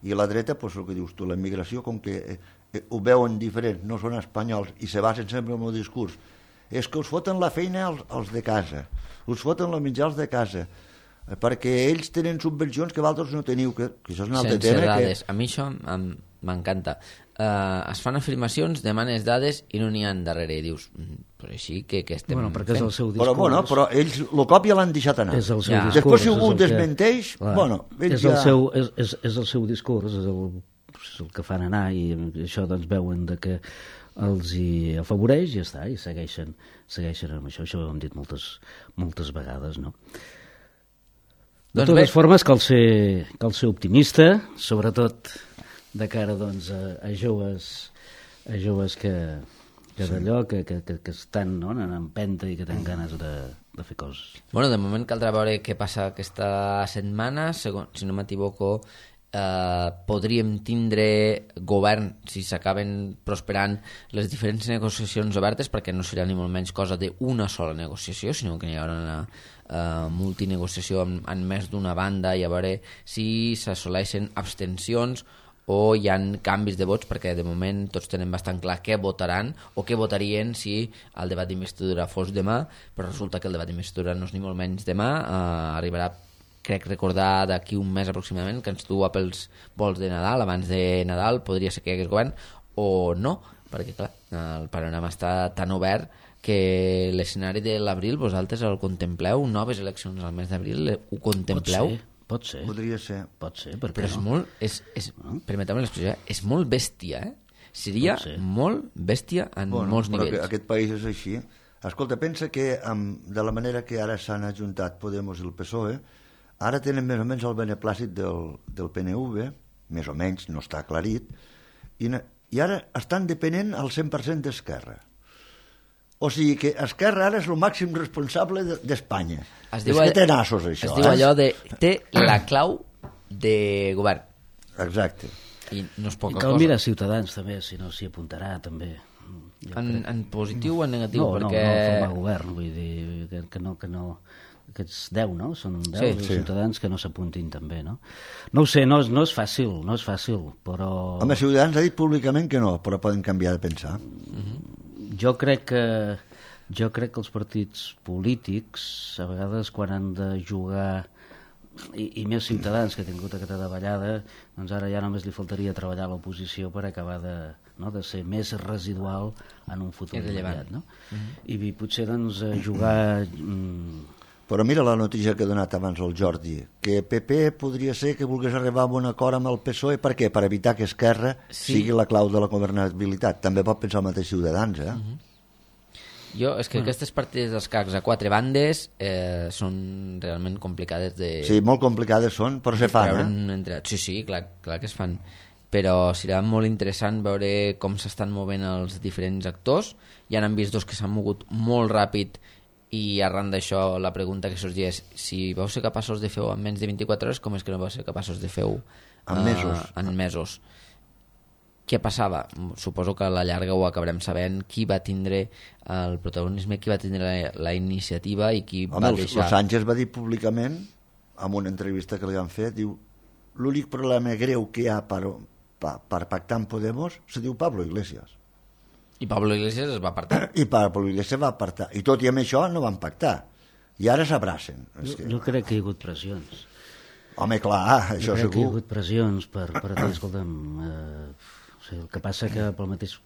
I a la dreta, pues, el que dius tu, la immigració, com que eh, eh, ho veuen diferent, no són espanyols, i se basen sempre en el discurs, és que us foten la feina als, als de casa, us foten la menjar als de casa, eh, perquè ells tenen subvencions que vosaltres no teniu, que, que això és un altre Sense tema. dades. Que... A mi això em- m'encanta. Uh, es fan afirmacions, demanes dades i no n'hi ha darrere. I dius, "Mm, però així que, que estem Bueno, perquè és fent?" el seu discurs. Però, bueno, però ells el cop ja l'han deixat anar. És el seu Ja. discurs. Després, si és algú el que- desmenteix, Clar, bueno, ells és, el ja... seu, és, és, és el seu discurs, és el, és el que fan anar, i això doncs veuen de que els hi afavoreix i ja està, i segueixen, segueixen amb això. Això ho hem dit moltes, moltes vegades, no? De Doncs totes bé. formes, cal ser, cal ser optimista, sobretot de cara doncs, a, a joves a joves que, que d'allò, que, que, que, que estan no, en empenta i que tenen ganes de, de fer coses. Bueno, de moment caldrà veure què passa aquesta setmana. Segon, si no m'equivoco, eh, podríem tindre govern si s'acaben prosperant les diferents negociacions obertes, perquè no serà ni molt menys cosa d'una sola negociació, sinó que hi haurà una eh, multinegociació en, en més d'una banda, i a veure si s'assoleixen abstencions o hi ha canvis de vots, perquè de moment tots tenen bastant clar què votaran o què votarien si el debat d'investidura fos demà, però resulta que el debat d'investidura no és ni molt menys demà, eh, arribarà, crec recordar, d'aquí un mes aproximadament, que ens du a pels vols de Nadal. Abans de Nadal podria ser que hi hagués govern o no, perquè clar, el panorama està tan obert que l'escenari de l'abril vosaltres el contempleu, noves eleccions al mes d'abril, ho contempleu? Pot ser, pot ser. Podria ser. Pot ser, per Però què és no? molt, és, és, permeteu-me l'expressió, eh? és molt bèstia, eh? Seria Pot ser. molt bèstia en Bueno, molts però nivells. que aquest país és així. Escolta, pensa que amb, de la manera que ara s'han ajuntat Podemos i el P S O E, ara tenen més o menys el beneplàcit del, del P N V, més o menys, no està aclarit, i, na- i ara estan depenent al cent per cent d'Esquerra. O sigui que Esquerra ara és el màxim responsable de- d'Espanya. Es És diu que all- té nassos, això. Es diu eh? allò de té la clau de govern, Exacte. i no és I poca cal cosa. mirar Ciutadans també, si no s'hi apuntarà també. Jo En, crec. en positiu o en negatiu? No, perquè... no, no formar govern, vull dir que, que no, que no, aquests deu, no? Són deu Sí, sí, sí. ciutadans que no s'apuntin també, no? No ho sé, no, és- no és fàcil, no és fàcil, però Home, Ciutadans ha dit públicament que no, però poden canviar de pensar. jo crec que jo crec que els partits polítics a vegades quan han de jugar i, i més Ciutadans que ha tingut aquesta davallada, doncs ara ja només li faltaria treballar a l'oposició per acabar de, no, de ser més residual en un futur Irrellevant. immediat, no? I potser doncs eh, jugar mm, Però mira la notícia que ha donat abans el Jordi, que P P podria ser que volgués arribar a un acord amb el P S O E. Per què? Per evitar que Esquerra Sí. sigui la clau de la governabilitat. També pot pensar el mateix Ciutadans, eh? Jo, és que aquestes partides d'escacs a quatre bandes eh, són realment complicades de... Sí, molt complicades són, però se fan, eh? eh? Entre... Sí, sí, clar, clar que es fan. Però serà molt interessant veure com s'estan movent els diferents actors. Ja n'han vist dos que s'han mogut molt ràpid, i arran d'això la pregunta que sorgia és si vau ser capaços de fer-ho en menys de vint-i-quatre hores, com és que no vau ser capaços de fer-ho En mesos. en mesos. Què passava? Suposo que a la llarga ho acabarem sabent, qui va tindre el protagonisme, qui va tindre la, la iniciativa i qui Home, va el, deixar... el Sánchez va dir públicament, en una entrevista que li van fer, diu, l'únic problema greu que hi ha per, per, per pactar amb Podemos se diu Pablo Iglesias. I Pablo Iglesias es va apartar. I Pablo Iglesias va apartar. I tot i amb això no van pactar. I ara s'abracen. Jo, que... jo crec que hi ha hagut pressions. Home, clar, això jo crec segur. que hi ha hagut pressions per, per dir, escolta'm, eh, o sigui, el que passa que pel mateix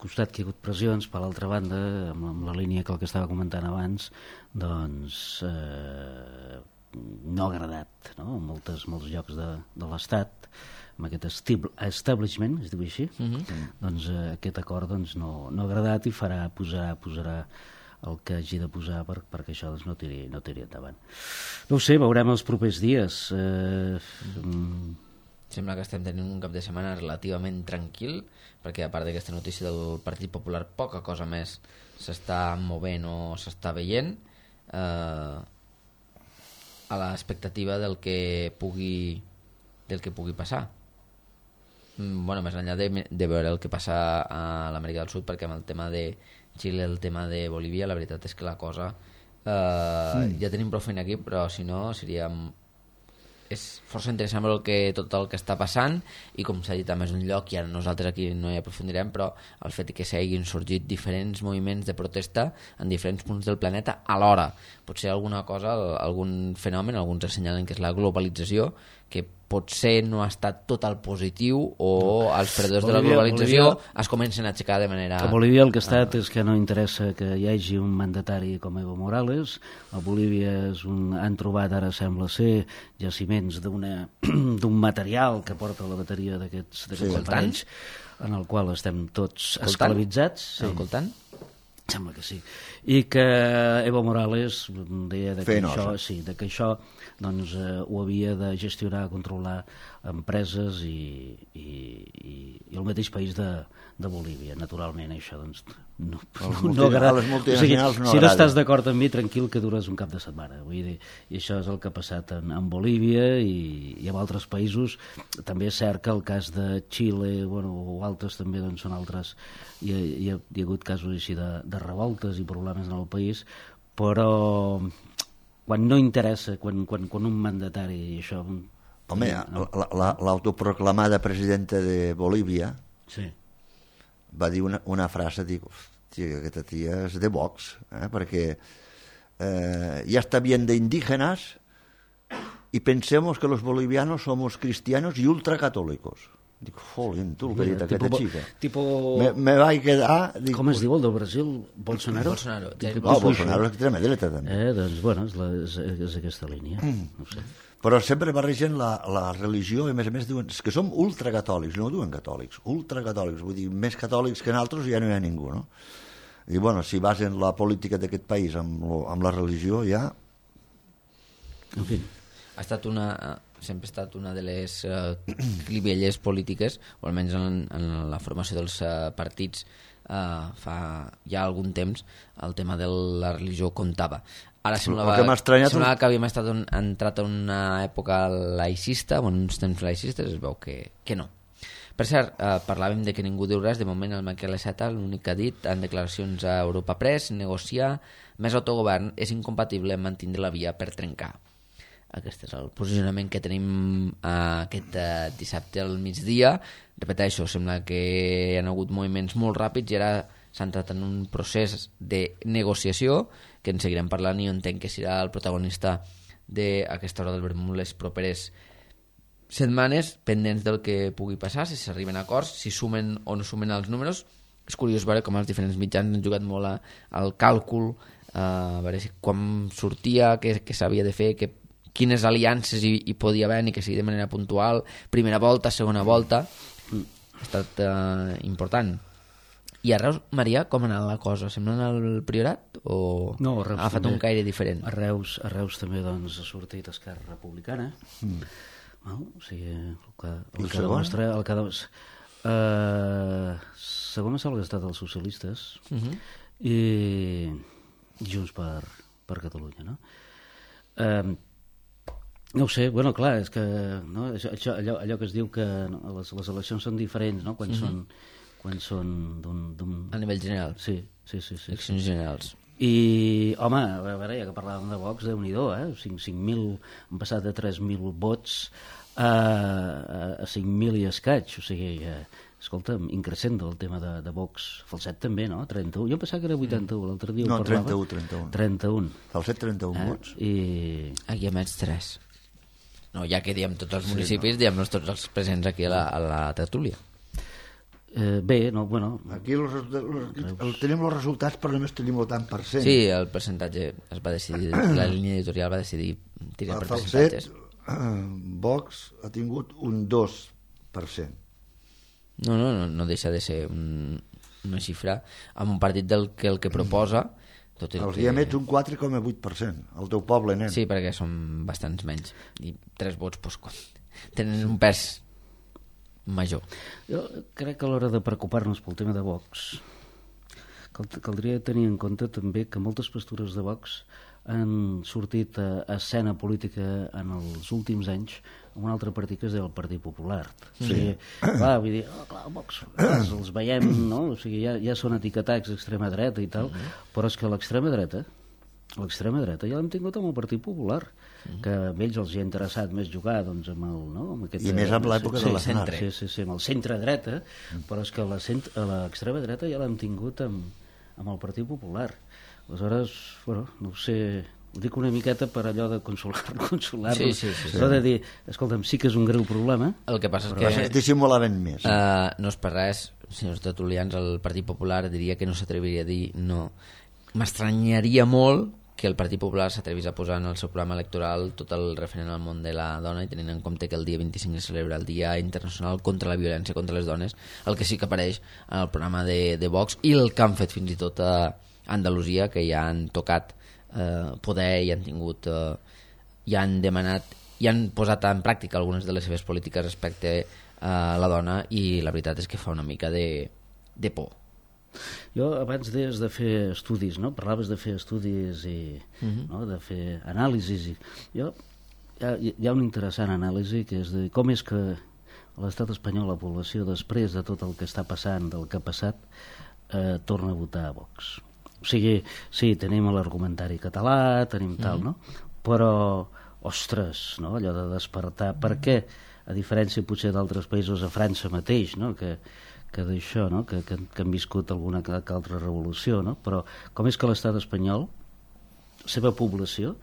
costat que hi ha hagut pressions, per l'altra banda, amb, amb la línia que el que estava comentant abans, doncs eh, no ha agradat, no? En moltes, molts llocs de, de l'Estat, amb aquest establishment, es diu així, mm-hmm. doncs eh, aquest acord doncs, no, no ha agradat i farà, posarà, posarà el que hagi de posar per, perquè això doncs, no, tiri, no tiri endavant. No ho sé, veurem els propers dies. Eh, mm. Sembla que estem tenint un cap de setmana relativament tranquil, perquè a part d'aquesta notícia del Partit Popular poca cosa més s'està movent o s'està veient eh, a l'expectativa del que pugui del que pugui passar. Bueno, més enllà de, de veure el que passa a l'Amèrica del Sud, perquè amb el tema de Xile, el tema de Bolívia, la veritat és que la cosa eh, mm. ja tenim prou feina aquí, però si no seria és força interessant el que, tot el que està passant, i com s'ha dit a més d'un lloc, i ara nosaltres aquí no hi aprofundirem, però el fet que s'hagin sorgit diferents moviments de protesta en diferents punts del planeta alhora, potser alguna cosa, algun fenomen, alguns assenyalen que és la globalització, que potser no ha estat tot el positiu, o els perdedors Bolívia, de la globalització Bolívia, es comencen a aixecar de manera... A Bolívia el que ha estat ah. és que no interessa que hi hagi un mandatari com Evo Morales. A Bolívia és un, han trobat, ara sembla ser, jaciments d'un material que porta la bateria d'aquests sí, aparells, en el qual estem tots coltant? esclavitzats. Sí. El coltant? Sembla que sí. I que Evo Morales deia de que, això, sí, de que això doncs, eh, ho havia de gestionar, controlar empreses i, i, i, i el mateix país de, de Bolívia, naturalment. Això doncs, no, no, no agrada. Les multinacionals o sigui, no si agrada. no estàs d'acord amb mi, tranquil, que dures un cap de setmana. Vull dir, i això és el que ha passat en, en Bolívia i, i en altres països. També és cert que el cas de Xile, bueno, o altres també doncs, són altres, hi ha, hi ha, hi ha hagut casos així de, de revoltes i problemes en el país, però quan no interessa, quan, quan, quan un mandatari i això... Home, l'autoproclamada presidenta de Bolívia sí. va dir una, una frase, dic, hòstia, aquesta tia és de Vox, eh? perquè eh, ya está bien de indígenas y pensemos que los bolivianos somos cristianos y ultracatólicos. Dic, jolín, tu el que ha dit aquesta tipo, xica. Tipo... Me, me vaig quedar... Dic, com es diu el del Brasil? Bolsonaro? Bolsonaro. No, Bolsonaro és extrema dreta, també. Eh, doncs, bueno, és, la, és, és aquesta línia. Mm. No sé. Però sempre barregen la, la religió i, a més a més, diuen és que som ultracatòlics, no ho diuen catòlics, ultracatòlics, vull dir, més catòlics que nosaltres ja no hi ha ningú, no? I, bueno, si basen la política d'aquest país amb, lo, amb la religió, ja... En fi. Ha estat una... sempre ha estat una de les uh, clivelles polítiques, o almenys en, en la formació dels uh, partits uh, fa ja algun temps, el tema de la religió comptava. Ara semblava que, semblava que havíem estat un, entrat en una època laicista, o en uns temps laicistes, es veu que, que no. Per cert, eh, parlàvem de que ningú diu res, de moment el Miquel Iceta l'únic que ha dit en declaracions a Europa Press, negociar més autogovern és incompatible amb mantindre la via per trencar. Aquest és el posicionament que tenim eh, aquest eh, dissabte al migdia. Repeteixo, sembla que hi ha hagut moviments molt ràpids i ara s'ha entrat en un procés de negociació que en seguirem parlant i jo entenc que serà el protagonista d'aquesta hora del vermut les properes setmanes, pendents del que pugui passar, si s'arriben a acords, si sumen o no sumen els números. És curiós veure com els diferents mitjans han jugat molt a, al càlcul, eh, a veure si, quan sortia, què, què s'havia de fer, què quines aliances hi, hi podia haver, ni que sigui de manera puntual, primera volta, segona volta, ha estat eh, important. I a Reus, Maria, com ha anat la cosa? Sembla anar al Priorat o no, Reus ha fet també, un caire diferent? A Reus, a Reus també doncs, ha sortit Esquerra Republicana, mm. no? O sigui, el que, el que demostra... El que demostra uh, segona sembla que ha estat els socialistes uh-huh. i Junts per, per Catalunya, no? Uh, No ho sé, bueno, clar, és que no, això, allò, allò que es diu que no, les, les eleccions són diferents, no?, quan mm-hmm. són, quan són d'un... A nivell general? Sí, sí, sí. sí eleccions sí. generals. I, home, a veure, ja que parlàvem de Vox, Déu-n'hi-do, eh? cinc mil, han passat de tres mil vots a, a cinc mil i escaig, o sigui, eh, escolta'm, increixent el tema de, de Vox. Falset també, no? trenta-u. Jo em pensava que era vuitanta-u, l'altre dia no, ho parlava. trenta-u, trenta-u. trenta-u. Falset, trenta-un eh? vots. I... Aquí emets tres. No, ja que diem tots els municipis, sí, no. diem-nos tots els presents aquí a la, a la tertúlia. Eh, bé, no, bueno... Aquí los, los, el, tenim els resultats, però només tenim el tant per cent. Sí, el percentatge es va decidir, la línia editorial va decidir tirar per Falset, percentatges. Vox ha tingut un dos per cent. No, no, no, no deixa de ser un, una xifra amb un partit del que el que proposa... Tot el Els que... hi emets un quatre coma vuit per cent, el teu poble, nen. Sí, perquè són bastants menys. I tres vots pues, tenen un pes major. Jo crec que a l'hora de preocupar-nos pel tema de Vox cal, caldria tenir en compte també que moltes postures de Vox han sortit a, a escena política en els últims anys amb un altre partit que es diu el Partit Popular. Sí. O sigui, clar, vull dir, oh, clar, Vox, els, els veiem, no? O sigui, ja, ja són etiquetats d'extrema dreta i tal, uh-huh. però és que l'extrema dreta, l'extrema dreta ja l'hem tingut amb el Partit Popular, uh-huh. que a ells els hi ha interessat més jugar doncs, amb el... No? Amb aquest, I més amb l'època sí, de l'Aznar. Sí, sí, sí, amb el centre-dreta, uh-huh. però és que l'extrema dreta ja l'hem tingut amb, amb el Partit Popular. Aleshores, bueno, no ho sé... Ho dic una miqueta per allò de consolar-nos, consolar sí, sí, sí, sí. Però de dir, escolta'm, sí que és un greu problema. El que passa és que... Es dissimulaven més. Uh, no és per res, senyors tertulians, el Partit Popular diria que no s'atreviria a dir no. M'estranyaria molt que el Partit Popular s'atrevís a posar en el seu programa electoral tot el referent al món de la dona i tenint en compte que el dia vint-i-cinc es celebra el Dia Internacional contra la Violència contra les Dones, el que sí que apareix en el programa de, de Vox i el que han fet fins i tot a Andalusia, que ja han tocat eh, poder i han tingut eh, i han demanat i han posat en pràctica algunes de les seves polítiques respecte a la dona i la veritat és que fa una mica de, de por. Jo abans deies de fer estudis, no? Parlaves de fer estudis i uh-huh. no? de fer anàlisis i jo hi ha, hi ha una interessant anàlisi que és de com és que a l'estat espanyol la població després de tot el que està passant, del que ha passat eh, torna a votar a Vox. O sigui, sí, tenim l'argumentari català, tenim tal, mm. no? Però, ostres, no? Allò de despertar. Per què, a diferència potser d'altres països, a França mateix, no? Que, que d'això, no? Que, que, que han viscut alguna que altra revolució, no? Però com és que l'estat espanyol, la seva població,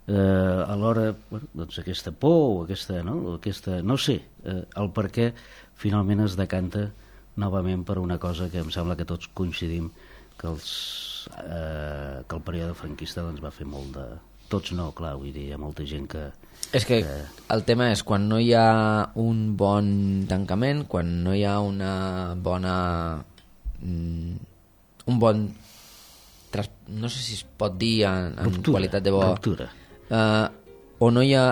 eh, alhora, bueno, doncs aquesta por o aquesta, no? Aquesta, no sé, eh, el per què finalment es decanta novament per una cosa que em sembla que tots coincidim que, els, eh, que el període franquista doncs, va fer molt de... Tots no, clar, vull dir, hi ha molta gent que... És que, que el tema és quan no hi ha un bon tancament, quan no hi ha una bona... Mm, un bon... Tras, no sé si es pot dir en, en ruptura, qualitat de bo... Ruptura. Uh, o no hi ha...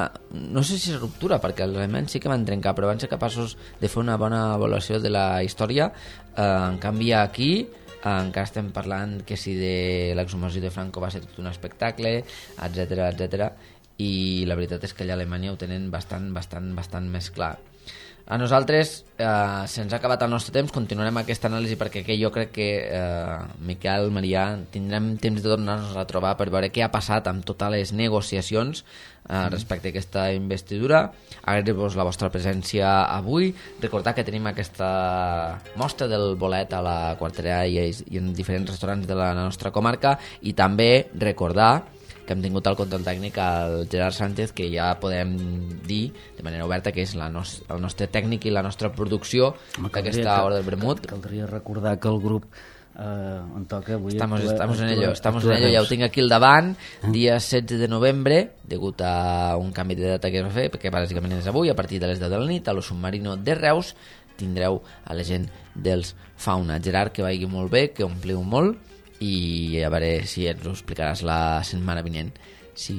No sé si és ruptura, perquè els elements sí que van trencar, però van ser capaços de fer una bona avaluació de la història. Uh, en canvi, aquí... encara estem parlant que si de l'exhumació de Franco va ser tot un espectacle, etcètera, etcètera, i la veritat és que allà a Alemanya ho tenen bastant, bastant, bastant més clar. A nosaltres eh, se'ns ha acabat el nostre temps, continuarem aquesta anàlisi perquè que jo crec que eh, Miquel, Marià, tindrem temps de tornar-nos a trobar per veure què ha passat amb totes les negociacions eh, respecte a aquesta investidura. Agrair-vos la vostra presència avui, recordar que tenim aquesta mostra del bolet a la Quartera i, i en diferents restaurants de la nostra comarca, i també recordar que hem tingut al control tècnic el Gerard Sánchez, que ja podem dir de manera oberta que és la nos el nostre tècnic i la nostra producció d'aquesta hora del vermut. Caldria recordar que el grup eh, on toca avui... Estamos, actua, estamos actua, en ello, estamos actua en ello, ja ho tinc aquí al davant, eh? dia setze de novembre, degut a un canvi de data que es va fer, perquè bàsicament és avui, a partir de les deu de la nit, a lo Submarino de Reus, tindreu a la gent dels Fauna. Gerard, que vagi molt bé, que ompliu molt, i a veure si ens ho explicaràs la setmana vinent, si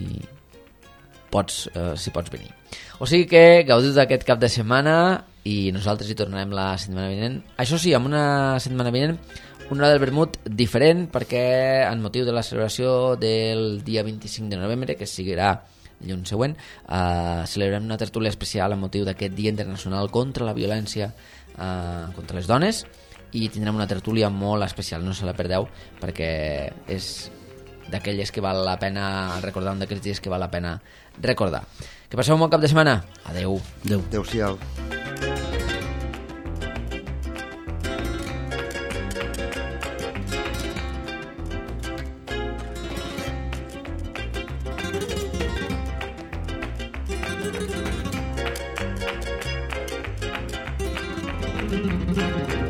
pots, eh, si pots venir. O sigui que gaudiu d'aquest cap de setmana i nosaltres hi tornarem la setmana vinent. Això sí, amb una setmana vinent, una hora del vermut diferent, perquè en motiu de la celebració del dia vint-i-cinc de novembre, que seguirà dilluns següent, eh, celebrem una tertúlia especial amb motiu d'aquest Dia Internacional contra la Violència eh, contra les Dones, i tindrem una tertúlia molt especial, no se la perdeu, perquè és d'aquelles que val la pena recordar, un d'aquests dies que val la pena recordar. Que passeu un bon cap de setmana. Adeu. Adeu. Adéu-siau. Thank you.